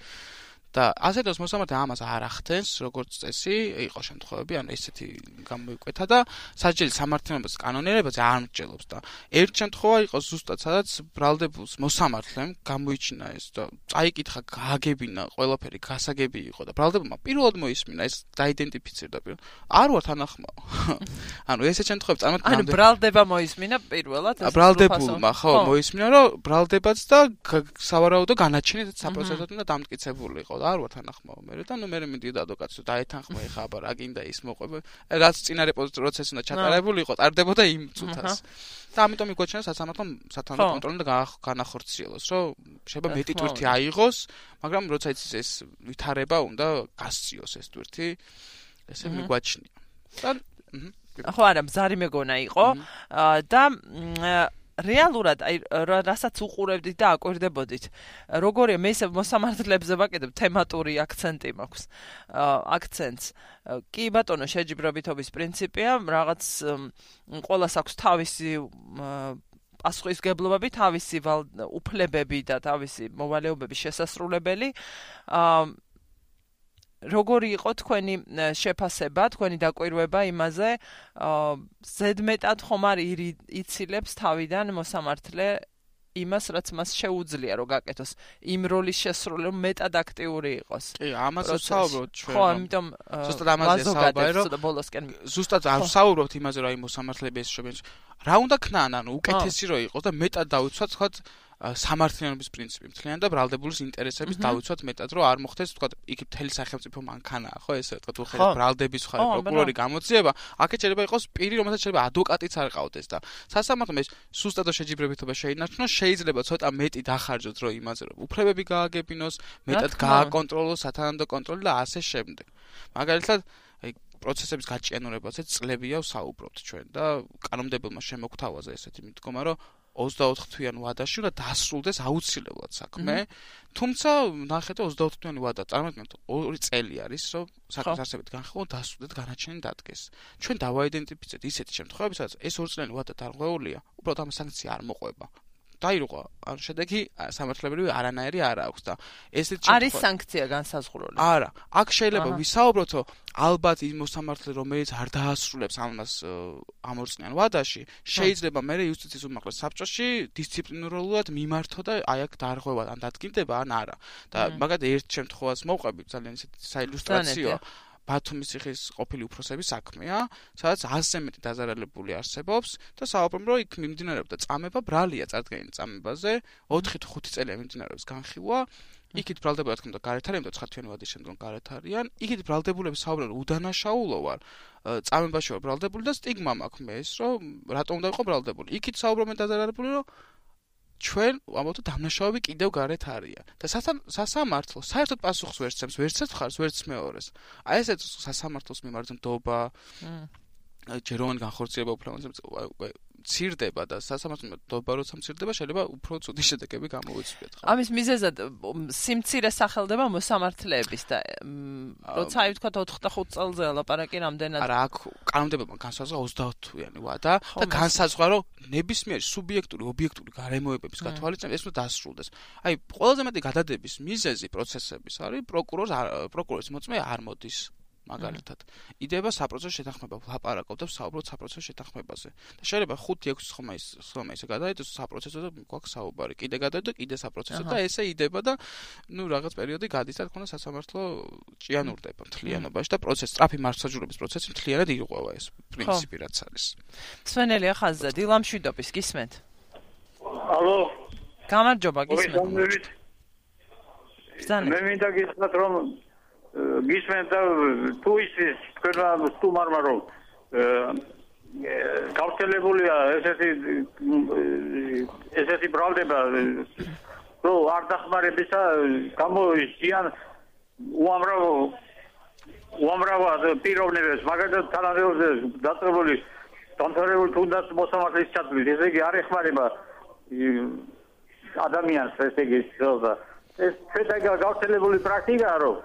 და ასეთოს მოსამართლე ამას არ ახდენს, როგორც წესი, იყო შემთხვევები, ანუ ესეთი გამოიკვეთა და სასჯელის სამართლიანობას კანონიერებაზე არ მრჩელობს და ერთ შემთხვევა იყო ზუსტად, სადაც ბრალდებულს მოსამართლემ გამოიჩინა ეს და წაიკითხა, გააგებინა, ყველაფერი გასაგები იყო და ბრალდებულმა პირველად მოისმინა ეს დაიდენტიფიცირდა პირველად. არ ვარ თანახმაო. ანუ ესეთ შემთხვევებში წარმოიდგინე. ანუ ბრალდება მოისმინა პირველად ეს ბრალდებულმა ხო მოისმინა, რომ ბრალდებაც და სავარაუდო განაჩენით საპროცესოდ უნდა დამტკიცებული იყო და არ ვარ თანახმაო მე და ნუ მე მიდიოდა ადვოკატს და დაეთანხმა ეხა აბა რა გინდა ის მოყვება რაც წინარე პროცესი უნდა ჩატარებული იყო ტარდებოდა იმ წუთას და ამიტომ იგვაჩვენა სასამართლომ სათანადო კონტროლი და განახორციელოს რომ შეიძლება მეტი ტვირთი აიღოს მაგრამ როცა იცის ეს ვითარება უნდა გასციოს ეს ტვირთი ესე მიგვაჩნია და ხო არა მზარი მეგონა იყო და რეალურად აი რასაც უყურებდით და აკვირდებოდით როგორია მე ისე მოსამართლეებზე ვაკეთებ თემატური აქცენტი მაქვს აქცენტს კი ბატონო შეჯიბრებითობის პრინციპია რაღაც ყველას აქვს თავისი პასუხისგებლობები თავისი უფლებები და თავისი მოვალეობების შესასრულებელი როგორი იყო თქვენი შეფასება, თქვენი დაკვირვება იმაზე, ზედმეტად ხომ არ იცილებს თავიდან მოსამართლე იმას, რაც მას შეუძლია რომ გაკეთოს, იმ როლის შესრულება მეტად აქტიური იყოს. კი, ამაზე ვსაუბრობთ ჩვენ. ხო, ამიტომ ზუსტად ამაზე საუბარი რომ ზუსტად არ ვსაუბრობთ იმაზე რომ აი მოსამართლეები ეს შეგვიძლია. რა უნდა ქნან, ანუ უკეთესი რო იყოს და მეტად დავიცვათ, თქვა სამართლიანობის პრინციპი მთლიანად და ბრალდებულის ინტერესების დავიცვათ მეტად რომ არ მოხდეს თქვა იქ მთელი სახელმწიფო მანქანაა ხო ესე თქვა თუ ხედავ ბრალდების ხარ პროკურორი გამოძიება აქეთ შეიძლება იყოს პირი რომელსაც შეიძლება ადვოკატიც არ ყავდეს და სასამართლომ ეს სუსტადო შეჯიბრებითობა შეინარჩუნოს შეიძლება ცოტა მეტი დახარჯოთ რომ იმაზე რომ უფლებები გააგებინოს მეტად გააკონტროლოს სათანადო კონტროლი და ასე შემდეგ მაგალითად აი პროცესების გაჭიანურებაზე წლებია ვსაუბრობთ ჩვენ და კანონმდებელმა შემოგთავაზა ესეთი მიდგომა რომ 24 თვიანი ვადაში უნდა დასრულდეს აუცილებლად საქმე. თუმცა ნახეთ 24 თვიანი ვადა წარმოიდგინეთ 2 წელი არის რომ საქმის არსებობით განხილვა დასრულდეს განაჩენი დადგეს. ჩვენ დავაიდენტიფიცირეთ ისეთი შემთხვევები სადაც ეს 2 წლიანი ვადა დარღვეულია, უბრალოდ ამ სანქცია არ მოყვება. დაირღვა, ან შედეგი სამართლებრივი არანაირი არ აქვს და ესეთ შემთხვევაში არის სანქცია განსაზღვრული. არა, აქ შეიძლება ვისაუბროთ, რომ ალბათ იმ მოსამართლე რომელიც არ დაასრულებს ამას ამ 2 წლიან ვადაში, შეიძლება მე იუსტიციის უმაღლეს საბჭოში დისციპლინარულად მიმართო და აი აქ დარღვევა ან დადგინდება ან არა. და მაგათ ერთ შემთხვევას მოვყვებით ძალიან ისეთი საილუსტრაციო ბათუმის ციხის ყოფილი უფროსების საქმეა, სადაც 100-ზე მეტი დაზარალებული არსებობს და საუბრობენ რომ იქ მიმდინარეობდა წამება, ბრალია წარდგენილი წამებაზე, 4 თუ 5 წელია მიმდინარეობს განხილვა, იქით ბრალდებულები თქმა უნდა გარეთ არიან და 9 თვიანი ვადის შემდგომ გარეთ არიან, იქით ბრალდებულები საუბრობენ რომ უდანაშაულო ვარ, წამებაში ვარ ბრალდებული და სტიგმა მაქვს მე ეს რომ რატომ უნდა ვიყო ბრალდებული. იქით საუბრობენ დაზარალებული რომ ჩვენ ამათო დამნაშავები კიდევ გარეთ არიან და სასამართლო საერთოდ პასუხს ვერ სცემს ვერც ერთ მხარეს ვერც მეორეს აი ესეც სასამართლოს მიმართ ნდობა ჯეროვანი განხორციელება უფლებამოსილებას ცირდება და სასამართლო ნდობა როცა მცირდება შეიძლება უფრო ცუდი შედეგები გამოვიცვლიათ ხო ამის მიზეზად სიმცირე სახელდება მოსამართლეების და როცა აი ვთქვა 4-5 წელზე ლაპარაკი რამდენად არა აქ კანონმდებელმა განსაზღვრა 30 თვიანი ვადა და განსაზღვრა რომ ნებისმიერი სუბიექტური ობიექტური გარემოებების გათვალისწინებით ეს უნდა დასრულდეს აი ყველაზე მეტი გადადების მიზეზი პროცესების არის პროკურორის მოწმე არ მოდის მაგალითად იდება საპროცესო შეთანხმება ლაპარაკობ და ვსაუბრობ საპროცესო შეთანხმებაზე და შეიძლება 5-6 ხმა ისე გადაიდოს საპროცესო და გვაქვს საუბარი კიდე გადაიდო კიდე საპროცესო და ესე იდება და ნუ რაღაც პერიოდი გადის და თქონა სასამართლო ჭიანურდება მთლიანობაში და პროცესი სწრაფი მართლმსაჯულების პროცესი მთლიანად ირღვევა ეს პრინციპი რაც არის სვენელია ხაზზე დილამშვიდობის გისმენთ ალო გამარჯობა გისმენთ მე მინდა გითხრათ რომ გისმენთ თუ ის თქვენმა სტუმარმა რომ გავრცელებულია ესეთი ბრალდება რომ არ დახმარებისა გამოიზიან უამრავ პიროვნებებს მაგალითად თანამდებობაზე დაწყებული დამთავრებული თუნდაც მოსამართლის ჩათვლით ესე იგი არ ეხმარება ადამიანს ესე იგი ეს გავრცელებული პრაქტიკაა რომ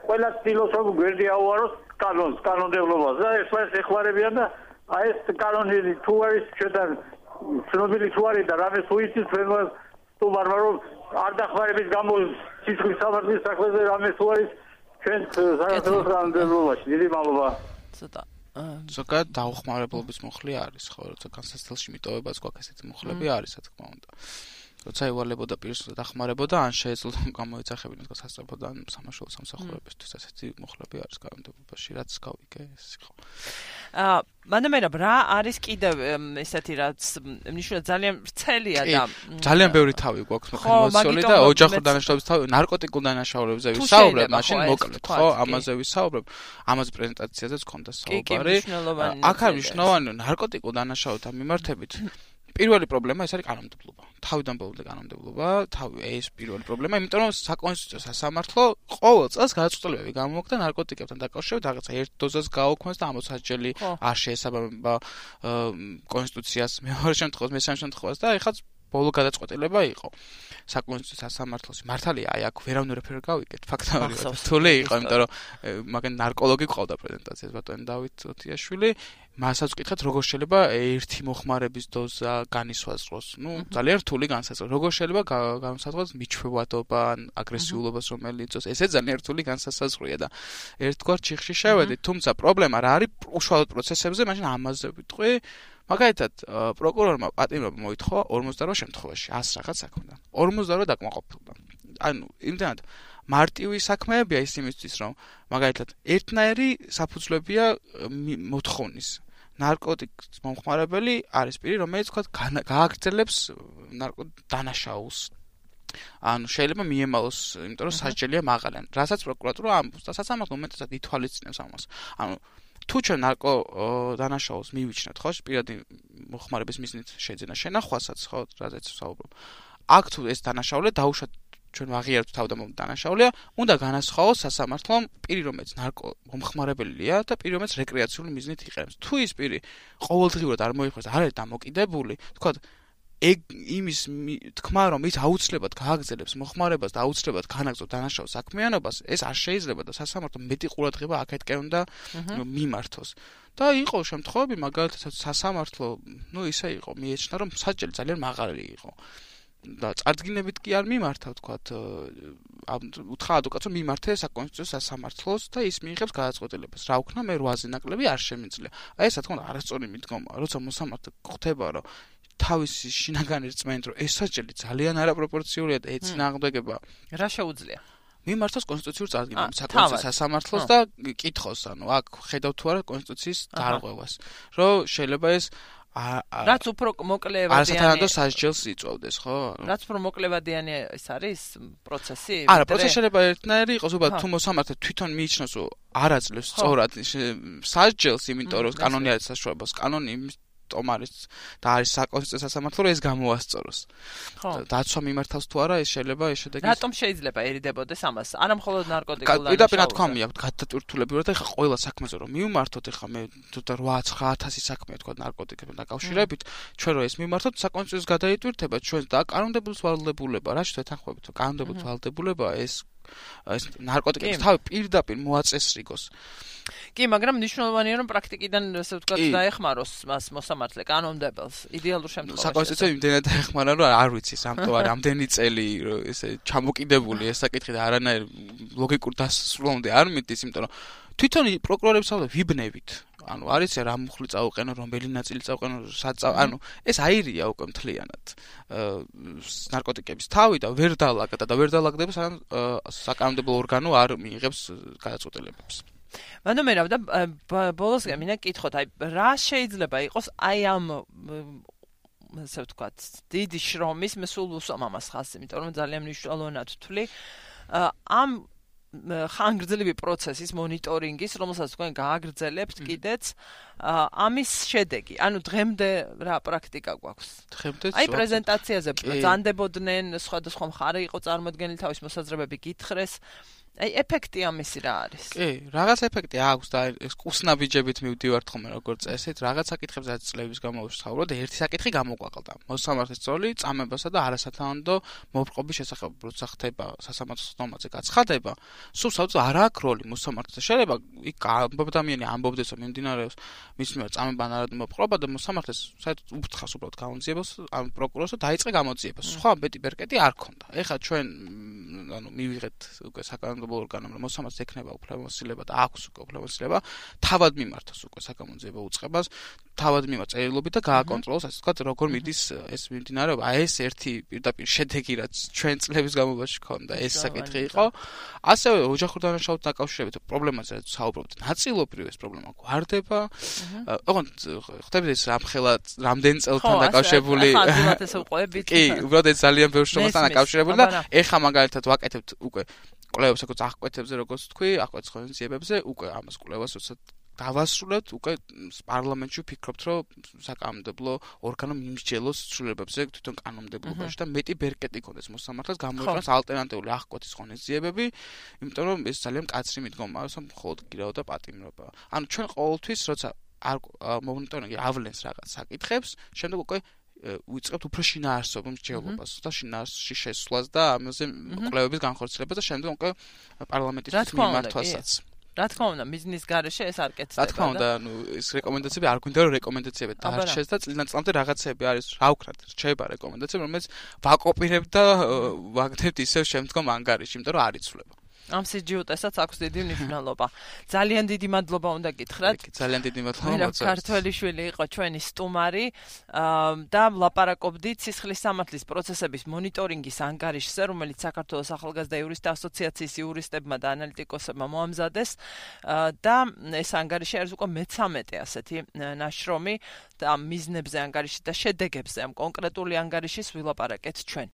ყველა ფილოსოფი გვერდი აუაროს კანონს, კანონმდებლობას და ეს ეხმარებიან და აი ეს კანონი თუ არის ჩვენთან ცნობილი თუ არის და რამე თუ იცის ჩვენ სტუმარმა რომ არ დახმარების გამო სისხლის სამართლის საქმეზე რამე თუ არის ჩვენ საქართველოს კანონმდებლობაში. დიდი მადლობა. ცოტა ზოგადად დაუხმარებლობის მუხლი არის, ხო, როცა განსაცდელში მიტოვებაც გვაქვს ესეთი მუხლები არის, რა თქმა უნდა. როცა ევალებოდა პირს დახმარებოდა, ან შეეძლო გამოეძახებინა თქო სასწრაფოდ ან სამაშველო სამსახურებისთვის ესეთი მუხლები არის კანონმდებლობაში, რაც გავიგე ეს ხო. მანდამერა რა არის კიდევ ესეთი რაც ნიშნულად ძალიან ვრცელია და ძალიან ბევრი თავი გვაქვს მოხმარებული და ოჯახურ დანაშაულების თავი, ნარკოტიკულ დანაშაულებებზე ვისაუბრებ, მაშინ მოკლედ ხო, ამაზე ვისაუბრებ, ამაზე პრეზენტაციაზეც ქონდა საუბარი. აქ არის მნიშვნელოვანი ნარკოტიკულ დანაშაულებთან მიმართებით. პირველი პრობლემა ეს არის კანონმდებლობა. თავიდან ბოლომდე კანონმდებლობა, ეს პირველი პრობლემა, იმიტომ რომ საკონსტიტუციო სასამართლო ყოველ წელს გადაწყვეტილებები გამოვაქვს ნარკოტიკებთან დაკავშირებით, რაღაცა ერთ დოზას გააუქმეს და ამოსაჯელი არ შეესაბამება კონსტიტუციას, მეორე შემთხვევაში, მესამე შემთხვევაში და ეხლა ბოლო გადაწყვეტილება იყო საკონსტიტუციო სასამართლოში. მართალია, აი აქ ვერავნერაფერ გავიგეთ, ფაქტობრივად რთული იყო, იმიტომ რომ მაგან ნარკოლოგი ყავდა პრეზენტაციას ბატონი დავით ოტიაშვილი. მასაც ვკითხეთ, როგორ შეიძლება ერთი მოხმარების დოზა განისვაზღროს. ძალიან რთული განსაზღვრა. როგორ შეიძლება განსაზღვროს მიჩვევადობა, აგრესიულობას რომელიც იწვევს. ესე ძალიან რთული განსაზღვრია და ერთგვარ ჩიხში შევედით. თუმცა პრობლემა რა არის უშუალოდ პროცესებზე, მაშინ ამაზე ვიტყვი. მაგალითად, პროკურორმა პატიმრობა მოითხოვა 48 შემთხვევაში 100 რაღაც საქმედან. 48 დაკმაყოფილდა. ანუ იმდენად მარტივი საქმეებია ის იმისთვის, რომ მაგალითად ერთნაირი საფუძვლებია მოთხოვნის. ნარკოტიკის მომხმარებელი არის პირი, რომელიც თქვა გააგრძელებს დანაშაულს. ანუ შეიძლება მიემალოს, იმიტომ რომ სასჯელია მაღალი. რასაც პროკურატურა ამბობს და სასამართლო უმეტესად ითვალისწინებს ამას. ანუ თუ ჩვენ ნარკო დანაშაულს მივიჩნევთ, ხო, პირადი მოხმარების მიზნით შეძენა შენახვასაც, ხო, რაზეც ვსაუბრობ. აქ თუ ეს დანაშაული დაუშვათ ჩვენ ვაღიარებთ თავდამოყრე დანაშაულია, უნდა განასხვაოს სასამართლომ პირი, რომელიც ნარკო მომხმარებელია და პირი, რომელიც რეკრეაციული მიზნით იყენებს. თუ ის პირი ყოველდღიურად არ მოიხმარს, არ არის დამოკიდებული, თქვა იმის თქმა რომ ის აუცილებლად გააგრძელებს მოხმარებას და აუცილებლად განაგრძობს დანაშაულ საქმიანობას, ეს არ შეიძლება და სასამართლომ მეტი ყურადღება აქეთკენ უნდა მიმართოს. და იყო შემთხვევები, მაგალითად სასამართლო, ისე იყო, მიეჩნდა რომ სასჯელი ძალიან მაღალი იყო. და წარდგინებით კი არ მიმართა, ვთქვათ, უთხრა ადვოკატს მიმართე საკონსტიტუციო სასამართლოს და ის მიიღებს გადაწყვეტილებას. რა ვქნა, მე 8-ზე ნაკლები არ შემიძლია. აი ეს რა თქმა უნდა არასწორი მიდგომა, როცა მოსამართლე ხვდება, რომ თავისი შინაგანი რწმენით, რომ ეს სასჯელი ძალიან არაპროპორციულია და ეწინააღმდეგება რა შეუძლია? მიმართოს კონსტიტუციურ წარდგინებას საკონსტიტუციო სასამართლოს და კითხოს, ანუ აქ ხედავ თუ არა კონსტიტუციის დარღვევას, რომ შეიძლება ეს რაც უფრო მოკლევადიანი არასათანადო სასჯელს იწვევდეს, ხო? რაც უფრო მოკლევადიანი ეს არის პროცესი? არა, პროცესი შეიძლება ერთნაირი იყოს, უბრალოდ თუ მოსამართლე თვითონ მიიჩნევს, რომ არ აძლევს სწორად სასჯელს, იმიტომ რომ კანონი არის საშუალებას, კანონი ტომარის და არის საკონსტიტუციო სასამართლო ეს გამოასწოროს. დაცვა მიმართავს თუ არა, ეს შეიძლება ეს შედეგი. რატომ შეიძლება ერიდებოდეს ამას? არა მხოლოდ ნარკოტიკულ დანაშაულს. პირდაპირ რა თქმა უნდა, გადატვირთულებრივად ეხა ყველა საქმეზე რომ მივმართოთ, ეხა მე 8-9,000 საქმეა თქვა ნარკოტიკებთან დაკავშირებით, ჩვენ რო ეს მივმართოთ, საკონსტიტუციოს გადაიტვირთება ჩვენ და კანონმდებლობის ვალდებულება, რა შეთანხმებით, რომ კანონმდებლობის ვალდებულება ეს ნარკოტიკების თავი პირდაპირ მოაწესრიგოს. კი, მაგრამ მნიშვნელოვანია რომ პრაქტიკიდან ასე ვთქვათ დაეხმაროს მას მოსამართლე კანონმდებელს. იდეალურ შემთხვევაში. საკონსტიტუციო იმდენად დაეხმარა რომ არ ვიცი სამთო არ ამდენი წელი ესე ჩამოკიდებული ეს საკითხი და არანაირ ლოგიკურ დასრულამდე არ მიდის, იმიტომ რომ თვითონ პროკურორებს ვიბნევით. ანუ არის რა მუხლი წაუყენო, რომელი ნაწილი წაუყენო, ანუ ეს აირია უკვე მთლიანად. ნარკოტიკების თავი და ვერ დაალაგდა და ვერ დაალაგდება სანამ საკანონმდებლო ორგანო არ მიიღებს გადაწყვეტილებებს. მანდამერა და ბოლოს მინდა კითხოთ, აი რა შეიძლება იყოს აი ამ ასე ვთქვათ, დიდი შრომის სულ უსვამ ამას ხაზს, იმიტომ რომ ძალიან მნიშვნელოვნად ვთვლი ამ ხანგრძლივი პროცესის მონიტორინგის, რომელსაც თქვენ გააგრძელებთ კიდეც ამის შედეგი. ანუ დღემდე რა პრაქტიკა გვაქვს? დღემდე აი პრეზენტაციაზე ბრძანდებოდნენ, სხვადასხვა მხარე იყო წარმოდგენილი, თავის მოსაზრებები გითხრეს. აი ეფექტი ამისი რა არის? კი, რაღაც ეფექტი აქვს და ეს კუსნაბიჯებით მივდივართ ხოლმე როგორც წესით, რაღაც საკითხებზე წლების განმავლობაში ვსაუბრობ და ერთი საკითხი გამოგვაყალდა. მოსამართლის წოლი წამებასა და არასათანადო მოპყრობის შესახებ, როცა ხდება სასამართლოს ნორმაზე გაცხადება, სულ საერთოდ არ აქვს როლი მოსამართლეს. შეიძლება იქ ადამიანი ამბობდეს, რომ მიმდინარეობს მის მიერ წამება ან არადო მოპყრობა და მოსამართლეს საერთოდ უფრთხას უბრალოდ გაუძიებას ან პროკურორს და დაიწყე გამოძიება. სხვა მეტი ბერკეტი არ ქონდა. ეხლა ჩვენ მივიღეთ უკვე საკანონმდებლო ორგანომ, რომ მოსამართლეს ექნება უფლებამოსილება და აქვს უკვე უფლებამოსილება, თავად მიმართოს უკვე საკანონმდებლო უწყებას, თავად მიმართ წერილობით და გააკონტროლოს, ასე ვთქვათ, როგორ მიდის ეს მიმდინარეობა. ეს ერთი პირდაპირ შედეგი რაც ჩვენ წლების განმავლობაში ქონდა, ეს საკითხი იყო. ასევე ოჯახურ დანაშაულთან დაკავშირებით პრობლემაზე რაც საუბრობთ, ნაწილობრივ ეს პრობლემა გვარდება. ოღონდ ხდებით ეს ამხელა რამდენ წელთან დაკავშირებული. კი, უბრალოდ ეს ძალიან ბევრ შრომასთან დაკავშირებული და ეხა მაგალითად ვაკეთებთ უკვე კვლევებს როგორც აღკვეთებზე, როგორც თქვი, აღკვეთის ღონისძიებებზე, უკვე ამას კვლევას როცა დავასრულებთ, უკვე პარლამენტში ვფიქრობთ, რომ საკანონმდებლო ორგანო მიმსჯელოს ცვლილებებზე თვითონ კანონმდებლობაში და მეტი ბერკეტი ქონდეს მოსამართლეს გამოიყენოს ალტერნატიული აღკვეთის ღონისძიებები, იმიტომ რომ ეს ძალიან მკაცრი მიდგომაა, რომ მხოლოდ გირაო და პატიმრობა. ანუ ჩვენ ყოველთვის როცა მონიტორინგი ავლენს რაღაც საკითხებს, შემდეგ უკვე ვიწყებთ უფრო შინაარსობრივ მსჯელობას და შინაარსში შესვლას და ამაზე კვლევების განხორციელებას და შემდეგ უკვე პარლამენტის მიმართვასაც. რა თქმა უნდა, მიზნის გარეშე ეს არ კეთდება. რა თქმა უნდა, ეს რეკომენდაციები არ გვინდა რომ რეკომენდაციები დაარჩეს და წლიდან წლამდე რაღაცები არის, რა ვქნათ, რჩება რეკომენდაციები, რომელიც ვაკოპირებთ და ვაგდებთ ისევ შემდგომ ანგარიში, იმიტომ რომ არ იცვლება. ამ სიჯუტესაც აქვს დიდი მნიშვნელობა. ძალიან დიდი მადლობა უნდა გითხრათ. ძალიან დიდი მადლობა. ქართველიშვილი იყო ჩვენი სტუმარი და ვლაპარაკობდით სისხლის სამართლის პროცესების მონიტორინგის ანგარიშზე, რომელიც საქართველოს ახალგაზრდა იურისტთა ასოციაციის იურისტებმა და ანალიტიკოსებმა მოამზადეს და ეს ანგარიში არის უკვე მე-13 ასეთი ნაშრომი და მიზნებზე ანგარიში და შედეგებზე ამ კონკრეტული ანგარიშის ვილაპარაკეთ ჩვენ.